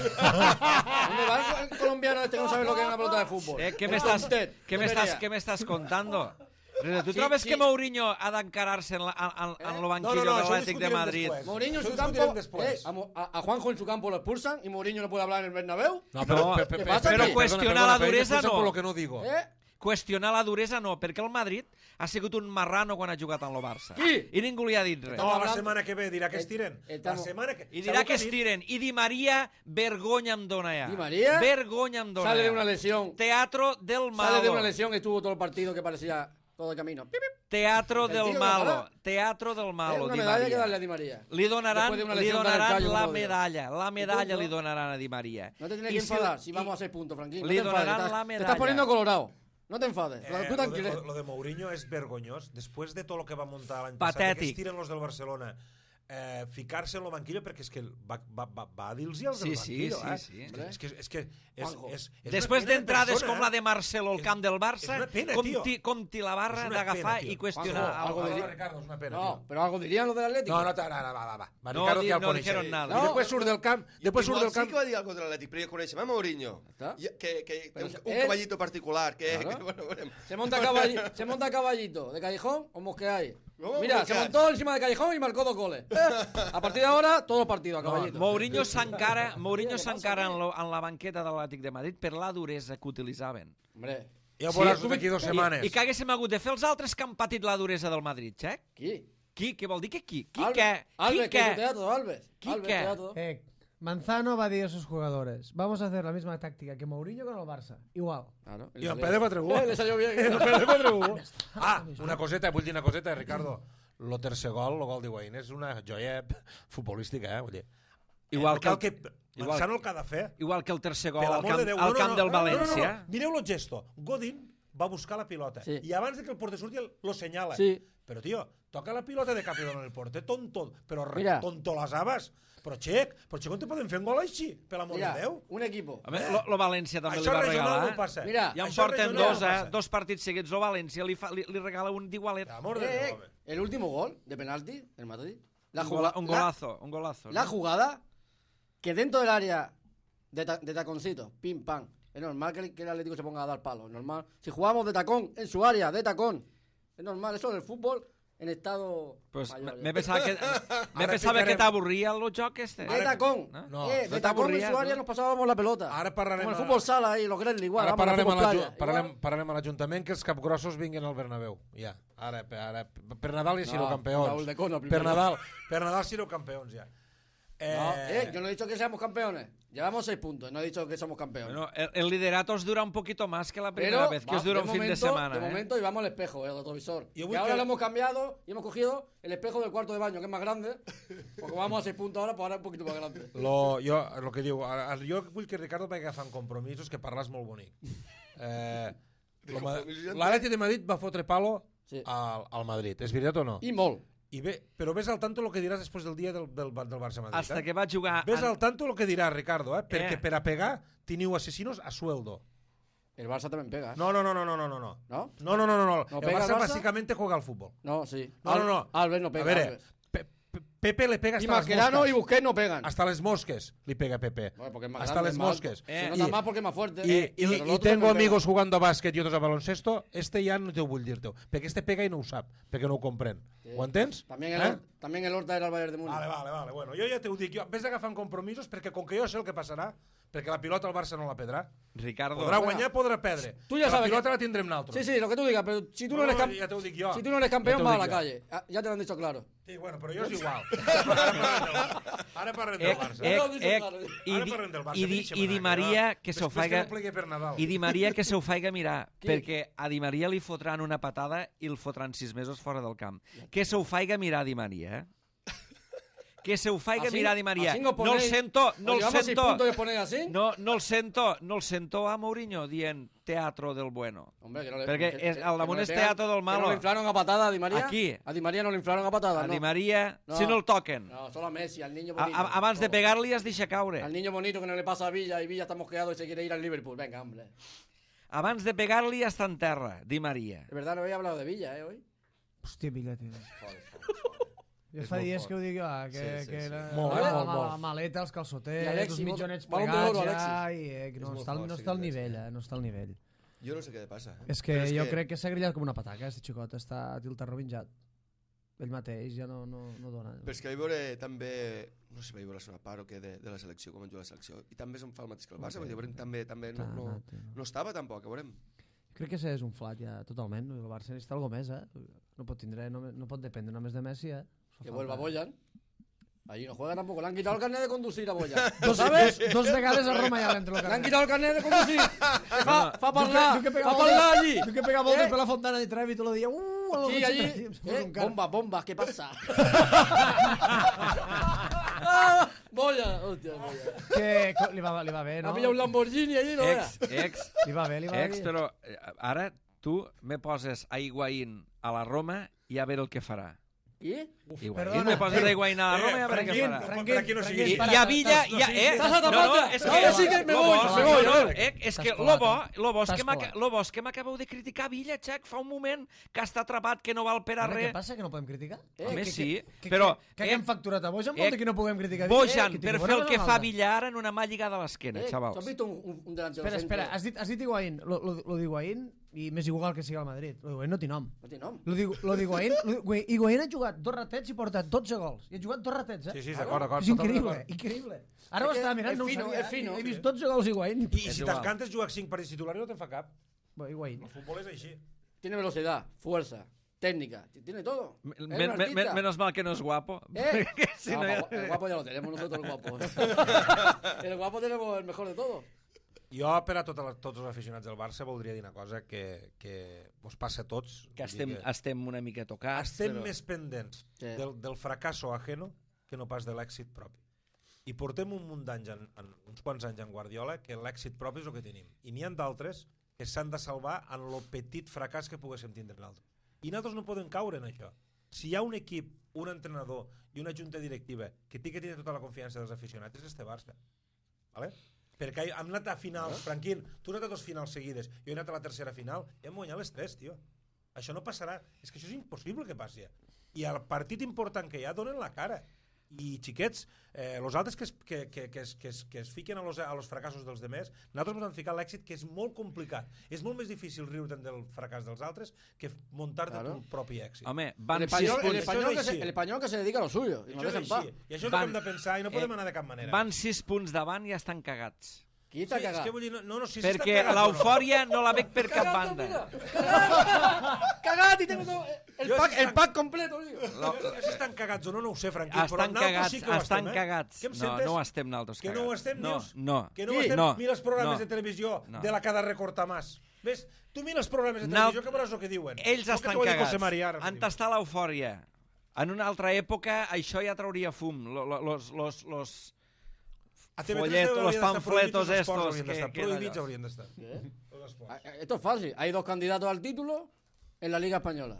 va el colombiano este que no sabe lo que es una pelota de fútbol? ¿Qué me estás contando? ¿Tú trobes que Mourinho ha d'encarar-se en lo banquillo de l'Atlètic de Madrid? Mourinho en su campo, a Juanjo en su campo lo expulsan y Mourinho no puede hablar en el Bernabéu. No, pero cuestionar la duresa no. Por lo que no digo. Qüestionar la duresa no, perquè el Madrid ha sigut un marrano quan ha jugat en el Barça. Qui? I ningú li ha dit res. No, la setmana que ve dirà que es tiren. I dirà que es tiren. I Di Maria, vergonya em dona ja. ¿Di María? Vergonya em dona Sale ja. de una lesión. Teatro del malo. Sale de una lesión y estuvo todo el partido que parecía todo el camino. Teatro del malo. Teatro del malo, una Di medalla que Maria. darle a Di María. Li donaran la callo, medalla. La medalla li donaran a Di Maria. No te tienes que enfadar si vamos a 6 puntos, Franquín. Li donaran la medalla. Te estás poniendo colorado. No te enfades. Tú tranquilo. Lo de Mourinho es vergonyós. Después de todo lo que va montar l'any passat, que es tiren los del Barcelona, ficar-se en el banquillo, perquè és que va dir-los als del banquillo. Sí. És que després d'entrades com la de Marcelo al camp del Barça, com ti la barra una d'agafar pena, i qüestionar algo. Ricardo, és una pena, no, pero algo dirían los del Atlético. No, va. No dijeron nada. I després surt del camp. Igual sí que va dir algo de l'Atlètic, però ja coneixem a Mourinho. Que un caballito particular. Se monta caballito de Callejón o Mosqueáis. Mira, se montó encima de Callejón y marcó 2 goles. A partir de ahora, todo partido a caballito. Mourinho s'encara en la banqueta de l'Atlètic de Madrid per la duresa que utilitzaven. Hombre, ja veuràs d'aquí 2 setmanes. I que haguéssim hagut de fer els altres que han patit la duresa del Madrid, Xec? Qui? Què vol dir que qui? Alves, que es teatro, Alves. ¿Qué? Manzano va a decir a sus jugadores, vamos a hacer la misma táctica que Mourinho con el Barça. Igual. Claro. I el Pere Patregú. Le salió bien. Una coseta, vull dir una coseta, Ricardo. El tercer gol, el gol d'Higuaín, és una joia futbolística, vull dir. Igual que Manzano el que ha de fer. Igual que el tercer gol al camp del València. Mireu el gesto. Godín va buscar la pilota i abans de que el porter surti lo senyala. Però, tio, toca la pilota de cap i dona el porter, tonto les habas. Però, Xec, on te poden fer un gol així? Per l'amor de Déu. Un equipo. Lo València també li va regalar. Ja en porten 2 partits seguits. El València li regala un d'igualet. El último gol de penalti del Madrid. Un golazo. La jugada que dentro del área de taconcito, pim, pam. Es normal que el Atlético se ponga a dar palos. Normal. Si jugamos de tacón en su área, de tacón. Es normal. Eso del fútbol en estado mayor. Me pensava que t'avorria el joc este. De tacón. De tacón en su área nos pasábamos la pelota. Como el fútbol sala y los Gremlins igual. Ara parlarem a l'Ajuntament que els capgrossos vinguin al Bernabéu. Ja. Ara, per Nadal ja sereu campeons. Per Nadal sereu campeons, ja. Yo no he dicho que seamos campeones. Llevamos 6 puntos, no he dicho que somos campeones. Bueno, el liderato os dura un poquito más que la primera vez, que os dura un fin de semana. De momento, y vamos al espejo, el retrovisor. Y ahora lo hemos cambiado y hemos cogido el espejo del cuarto de baño, que es más grande, porque vamos a 6 puntos ahora, pues ahora es un poquito más grande. Lo que diu, jo vull que Ricardo vagi agafant compromisos, que parles molt bonic. L'Atlètic de Madrid va fotre palo al Madrid. És veritat o no? I molt. Però ves al tanto el que diràs després del dia del Barça-Madrid. Hasta que va jugar... Ves al tanto el que diràs, Ricardo, perquè per a pegar teniu asesinos a sueldo. El Barça también pega. No. ¿No? No. El Barça básicamente juega al fútbol. No, sí. No. Albert no pega. A ver, Pepe le pega y hasta las Mascherano moscas. y Busquets no pegan. Hasta les mosques li pega Pepe. Bueno, porque es más Hasta grande, les es más mosques. alto. Se nota más porque es más fuerte. Y pero el otro tengo también amigos pega. jugando a bàsquet i otros a baloncesto. Este ja no te ho vull dir-te. Perquè este pega i no ho sap, perquè no ho comprèn. Sí. Ho entens? También el Horta era el Bayern de Múnich. Vale. Bueno, jo ja t'ho dic. Ves agafant compromisos perquè com que jo sé el que passarà, perquè la pilota el Barça no la perdrà. Ricardo... Podrà guanyar, podrà perdre. Tú ya sabes la pilota que... la tindrem nosaltres. Sí, lo que tú digas, pero si tú no eres Ja t'ho dic jo. si tú no eres campeón, Ja vas a t'ho la dic jo. calle. Ya te lo han dicho claro. Sí, bueno, però jo és igual. Ara parlem del Barça. I Di Maria que se ho faiga... no plegui per Nadal. I Di Maria que se ho faiga mirar, perquè a Di Maria li fotran una patada i el fotran 6 mesos fora del camp. Que se ho faiga mirar Di Maria, eh? Que se ho faiga mirar Di Maria. No el sento, no el sento a Mourinho dient teatro del bueno. Hombre, Perquè al damunt és teatro del malo. ¿No le inflaron a patada a Di María? Aquí. A Di María no le inflaron a patada, A ¿no? Di Maria, si no el toquen. No, solo a Messi, al niño bonito. Abans de pegar-li es deixa caure. Al niño bonito que no le pasa a Villa y Villa está mosqueado y se quiere ir al Liverpool. Venga, hombre. Abans de pegar-li està en terra, Di Maria. De verdad no había hablado de Villa, hoy. Hòstia, Villa, tio. Ja fa dies que ho dic jo, que era Molt. maleta, els calçotets, els mitjonets Balón d'Or, plegats ja, Alexis. i no està al nivell, no està al nivell. Jo no sé què passa. És que jo crec que s'ha grillat com una pataca, este xicot, està tiltarrovinjat. Ell mateix ja no dona. Però és que vaig veure també, no sé si vaig veure la part o què de la selecció, com juga la selecció, i també se'm fa el mateix que el Barça, vull dir, també no estava tampoc, a veurem. Crec que és un flat ja totalment, el Barça necessita alguna més, no pot dependre només de Messi, Que vuelva Boyan. Allí no juega tampoco. Le han quitado el carnet de conducir a Boyan. ¿Lo sabes? Dos vegades a Roma ja l'entre el Le han carnet. quitado el carnet de conducir. Fa parlar allí. Diu que pega voltes per la fontana de Trevi tot el dia. Sí, allí. Bomba, ¿qué pasa? Boyan. Hòstia, Boyan. Que li va bé, no? Ha pillado un Lamborghini allí, no veas. Li va bé. Però ara tu me poses a Higuaín a la Roma i a veure el que farà. ¿Qui? Higuaín me poses a Higuaín a la Roma i a veure què farà. Franquín, I a Villa... Sí que me voy. És que lo bo és que m'acabeu de criticar Villa, Xac, fa un moment que està atrapat, que no val per a Què res. passa, que no podem criticar? Home, sí, però... Que hem facturat a Bojan vol dir que no puguem criticar Bojan, per fer el que fa Villa ara en una mà lligada a l'esquena, ¿Tú has xavals. visto un delantero Espera, has dit Higuaín, lo d'Higuaín, i m'és igual que sigui al Madrid. Lo d'Higuaín no té nom. No té nom. Lo d'Higuaín, Higuaín ha jugat 2 ratets i porta 12 gols. I ha jugat 2 ratets, Sí, d'acord. És increïble. Ara ho estava mirant, no ho sabia. És fino. He vist 12 gols Higuaín. I si t'encantes jugar 5 partits titulars no te'n fa cap. Higuaín. El futbol és així. Tiene velocidad, fuerza, técnica, tiene todo. Menos mal que no és guapo. El guapo ya lo tenemos nosotros, el guapo. El guapo tenemos el mejor de todo. Jo, per a tots els aficionats del Barça, voldria dir una cosa que us passa a tots. Que estem una mica tocats. Estem més pendents del fracasso ajeno que no pas de l'èxit propi. I portem un munt d'anys, uns quants anys en Guardiola, que l'èxit propi és el que tenim. I n'hi ha d'altres que s'han de salvar en el petit fracàs que poguéssim tindre nosaltres. I nosaltres no podem caure en això. Si hi ha un equip, un entrenador i una junta directiva que té que tenir tota la confiança dels aficionats, és este Barça. Vale? Perquè hem anat a finals, Franquín, tu has anat a 2 finals seguides, jo he anat a la tercera final i hem guanyat les 3, tio. Això no passarà, és que això és impossible que passi. I al partit important que hi ha donen la cara. I xiquets, els altres que es fiquen a los fracassos dels demés, nosaltres ens hem ficat l'èxit, que és molt complicat. És molt més difícil riure'n del fracàs dels altres que muntar-te tu propi èxit. Home, van 6 punts. El español que se dedica a lo suyo. I això és el que hem de pensar i no podem anar de cap manera. Van 6 punts davant i estan cagats. Qui està cagat? És que vull dir, si perquè l'eufòria no la veig per cap banda. Cagat i tengo el pack completo, tío. Si estan cagats o no ho sé, Franquí, però Estan nosaltres sí que ho estan estem, cagats. No ho estem nosaltres cagats. Que no ho estem, dius? No. Que no ho estem? Mira els programes de televisió de la cada recorta más. Ves? Tu mira els programes de televisió que veuràs el que diuen. Ells estan cagats. Han tastat l'eufòria. En una altra època això ja trauria fum. Los folletos, los panfletos estos prohibits haurien d'estar. Esto es fácil. Hay 2 candidatos al título en la Liga Española.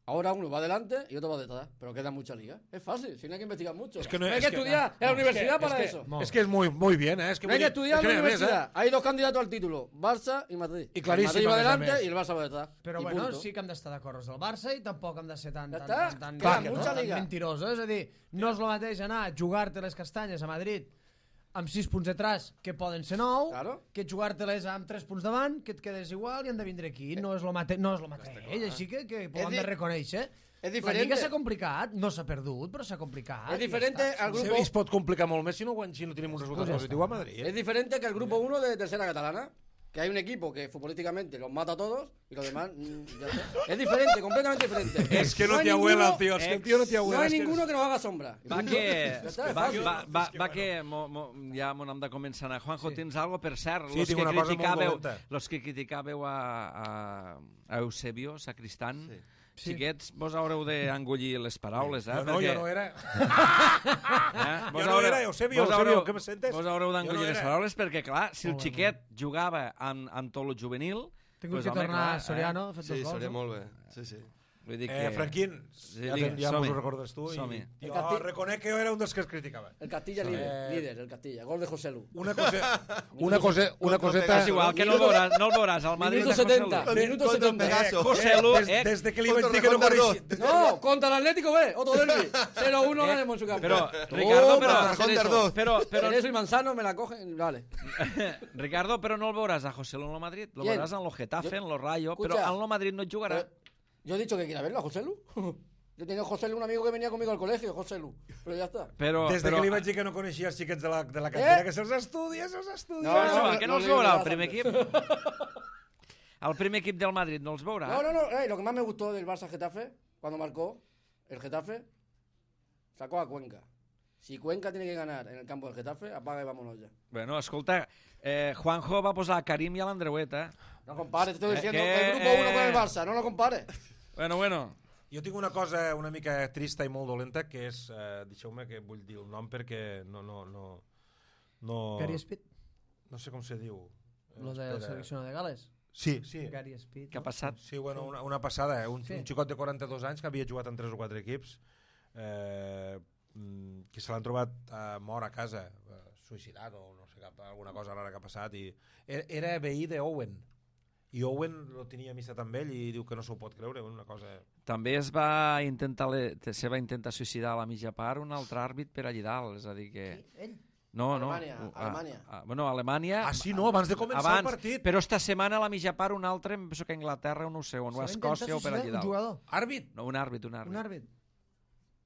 Ahora uno va adelante y otro va detrás, pero queda mucha liga. Es fácil, si no hay que investigar mucho. Es que no hay que estudiar en la universidad para eso. Es que es muy bien, ¿eh? Es que no hay que estudiar en la universidad. Hay dos candidatos al título, Barça i Madrid. I claríssim, el Madrid va adelante i el Barça va detrás. Però bueno, sí que hem d'estar d'acord amb el Barça i tampoc hem de ser tan liga. mentirosos. És a dir, no és el mateix anar a jugar-te les castanyes a Madrid amb 6 punts detrás, que poden ser 9, que jugar-te-les amb 3 punts davant, que et quedes igual i han de vindre aquí. No és el mateix, així que ho hem de reconèixer. La Lliga s'ha complicat, no s'ha perdut, però s'ha complicat. És diferent al grup... Es pot complicar molt més si no tenim un resultat positiu a Madrid. Es diferente que el grupo 1 de tercera catalana, que hay un equipo que futbolísticamente los mata a todos y los demás ya está. Es diferente, completamente diferente. Es que no te abuela el tío, es que el tío no te abuela. No hay ninguno que nos haga sombra. Va que ja m'ho hem de començar a anar. Juanjo, tens algo per cert? Sí, tinc una cosa molt dolenta. Los que criticàveu a Eusebio Sacristán, xiquets, vos haureu d'engollir les paraules, eh? No, jo no era. Jo no era, Eusebio, què me sentes? Vos haureu d'engollir les paraules perquè, clar, si el xiquet jugava amb tot el juvenil... Tinc que tornar a Soriano, ha fet 2 gols. Sí, Soriano molt bé. Sí. Vull dir que... Franquín, ja mos ho recordes tu. Jo reconec que jo era un dels que es criticava. El Castilla líder, el Castilla. Gol de José Lu. Una coseta... És igual, que no el veuràs. El Madrid de José Lu. Minuto 70. José Lu, Des de que li vaig dir que no coneixia... No, contra el Atlético B, otro derbi. 0-1 ganemos en su campo. Pero, Ricardo, pero... Cerezo y Manzano me la cogen, vale. Ricardo, però no el veuràs a José Lu en el Madrid. Lo veuràs en lo Getafe, en lo Rayo, però en lo Madrid no jugarà. Yo he dicho que quiera verlo a José Lu. Yo tenía a José Lu, un amigo que venía conmigo al colegio, José Lu. Pero ya está. Des que li vaig dir que no coneixia els xiquets de la cantera, que se'ls estudia. No, que no els veurà el primer equip. El primer equip del Madrid no els veurà. No. Lo que más me gustó del Barça-Getafe, cuando marcó el Getafe, sacó a Cuenca. Si Cuenca tiene que ganar en el campo del Getafe, apaga y vámonos ya. Bueno, escolta, Juanjo va posar a Karim i a l'Andreuet, eh? No compares, te estoy diciendo el grupo 1 con el Barça, no lo compares. Bueno. Jo tinc una cosa una mica trista i molt dolenta, que és, deixeu-me que vull dir el nom perquè no... Gary Speed? No sé com se diu. Lo del seleccionador de Gales? Sí. Gary Speed. Què ha passat? Sí, bueno, una passada, un xicot de 42 anys que havia jugat en 3 o 4 equips, que se l'han trobat mort a casa, suïcidat o no sé, alguna cosa rara que ha passat, i era veí d'Owen. I Owen lo tenia amistat amb ell i diu que no s'ho pot creure, una cosa... També se va intentar suïcidar a la mitja part un altre àrbit per allà dalt, és a dir que... Ell? No. Alemanya. Bueno, Alemanya... Ah, sí, no, abans de començar el partit. Però esta setmana a la mitja part un altre, em penso que a Anglaterra, no sé, o a Escòcia o per allà dalt. Un jugador? Àrbit? No, un àrbit. Un àrbit?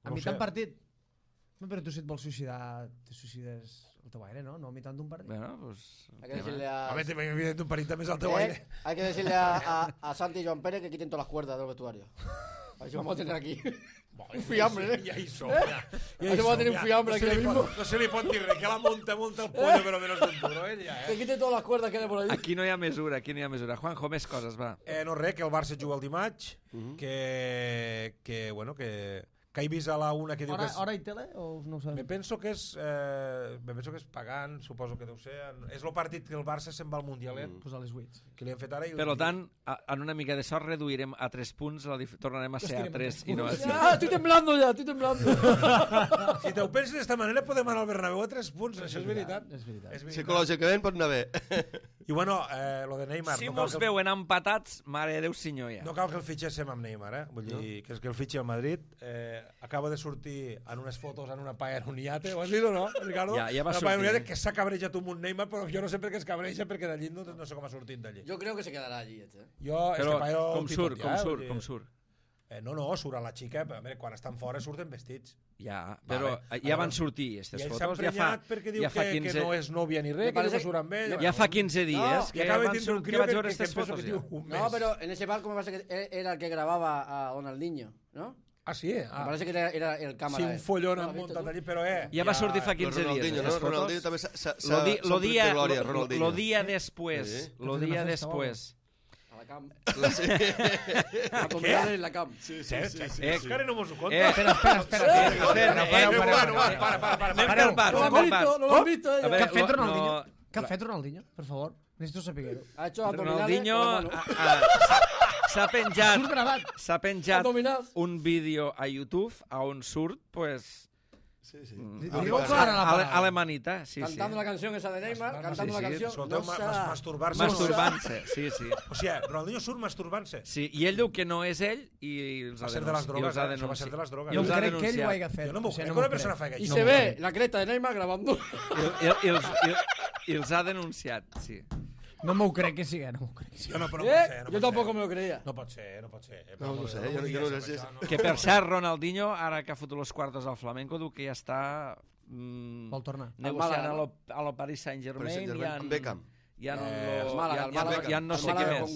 A mitjan partit? No, però tu si et vols suïcidar, te suïcides al teu aire, ¿no? No a mitjan d'un partit. Bueno, pues... Hay que decirle a... A ver, evident un partit també és al teu aire. Hay que decirle a Santi y Joan Pérez que quiten todas las cuerdas del vestuario. A ver si vamos a tener aquí un fiambre, ¿eh? Ja hi som, ja. A ver si vamos a tener un fiambre aquí mismo. No se li pot dir res, que la monta el pollo, però menos d'un duro, ja, Que quiten todas las cuerdas que hay por ahí. Aquí no hi ha mesura. Juanjo, més coses, va. No res, que el Barça juga el dimarts, que bueno, que he vist a la una que diu que és... Hora i tele o no ho sabem? Me penso que és pagant, suposo que deu ser. És el partit que el Barça se'n va al Mundialet. Pues a les 8. Que li han fet ara. Per tant, en una mica de sort reduirem a 3 punts, tornarem a ser a 3 i no a 5. Ah, estoy temblando ya, estoy temblando. Si t'ho penses d'esta manera podem anar al Bernabéu a 3 punts, això és veritat. Psicològicament pot anar bé. I bueno, lo de Neymar... Si mos veuen empatats, mare de Déu senyor ja. No cal que el fitxéssim amb Neymar, vull dir que és que el fitxi al Madrid... acaba de sortir en unes fotos en una paella en un iate, ho has vist o no, Ricardo? Ja va sortir. Una paella que s'ha cabrejat un Neymar, però jo no sé per què es cabreja, perquè d'allí no sé com ha sortit d'allí. Yo creo que se quedará allí, Però com surt? No, surt a la xica, però quan estan fora surten vestits. Ja, però ja van sortir aquestes fotos. I ell s'ha emprenyat perquè diu que no és nòvia ni res, que diu que surt amb ell. Ja fa 15 dies que vaig veure aquestes fotos. No, pero en ese barco me parece que era el que grababa a Ronaldinho, ¿no? Ah, sí? Me parece que era el cámara. Sí, un follón han muntat allí, però ja va sortir fa 15 dies. Ronaldinho també s'ha glòria, Ronaldinho. Lo dia después. A la camp. A comprar en la camp. Sí. Encara no mos ho conta. Espera. No lo han visto. ¿Qué ha fet Ronaldinho? Per favor, necesito saber-ho. Ha hecho abdominales. Ronaldinho s'ha penjat un vídeo a YouTube on surt, pues... Sí. Alemanita, sí. Cantando la canción esa de Neymar, cantando la canción... Masturbant-se. Masturbant-se, sí. O sigui, Ronaldinho surt masturbant-se. Sí, i ell diu que no és ell i els ha denunciat. Això va ser de les drogues. Jo crec que ell ho hagi fet. Jo no m'ho crec que una persona faci I se ve la creta de Neymar grabando. I els ha denunciat, sí. No m'ho crec que sigui, no m'ho crec que sigui. No pot ser. Jo tampoc me lo creia. No pot ser. No sé, jo no sé. Que per cert, Ronaldinho, ara que ha fotut los quartos al Flamenco, diu que ja està Vol tornar. negociant a lo Paris Saint-Germain i amb Beckham. Ja no sé què més.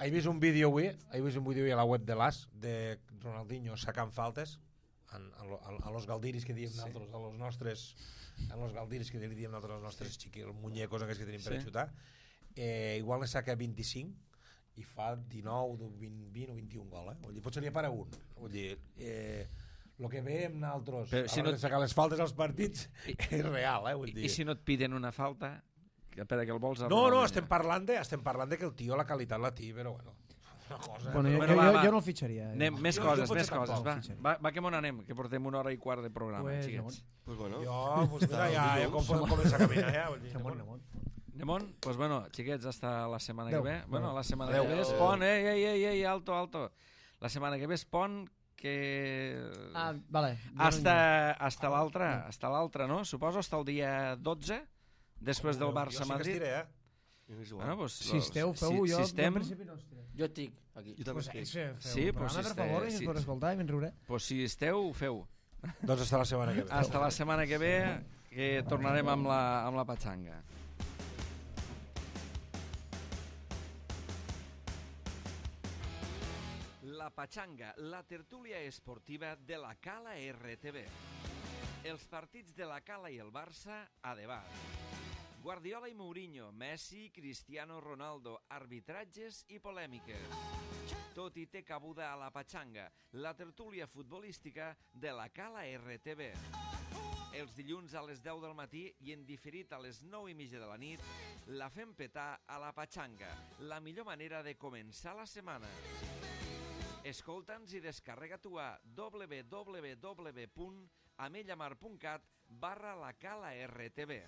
He vist un vídeo avui a la web de l'AS de Ronaldinho sacant faltes a los galdiris que diem nosaltres, a los galdiris que diem nosaltres, els nostres xiquils, muñecos aquests que tenim per a xutar. Igual ne saca 25 i fa 19, 20 o 21 gols. Vull dir, potser n'hi ha per a un. Vull dir, el que veiem nosaltres a l'hora de sacar les faltes als partits és real, vull dir. I si no et piden una falta, per a que el vols... No, estem parlant de que el tio la qualitat la té, però bueno... Bueno, jo no el fitxaria. Més coses, va que m'on anem, que portem 1 hora i quart de programa, xiquets. Pues bueno. Pues mira, ja podem començar a caminar, ja. Nemon, pues bueno, xiquets, hasta la setmana que ve. Bueno, la setmana que ve és pont, alto. La setmana que ve és pont que... Vale. Hasta l'altre, no? Suposo hasta el dia 12, després del Barça-Madrid. Jo sí que estiré, Bueno, pues, si esteu, feu-ho, jo en principi no estiré. Jo estic aquí. Jo també estic. Sí, pues per favor, si es pot escoltar i me'n riuré. Pues si esteu, feu. Doncs hasta la setmana que ve. Hasta la setmana que ve, que tornarem amb la patxanga. La patxanga, la tertúlia esportiva de la Cala RTV. Els partits de la Cala i el Barça a debat. Guardiola i Mourinho, Messi, Cristiano Ronaldo, arbitratges i polèmiques. Tot hi té cabuda a la patxanga, la tertúlia futbolística de la Cala RTV. Els dilluns a les 10 del matí i en diferit a les 9:30 de la nit, la fem petar a la patxanga, la millor manera de començar la setmana. Escolta'ns i descarrega-t'ho a www.amellamar.cat/la Cala RTV.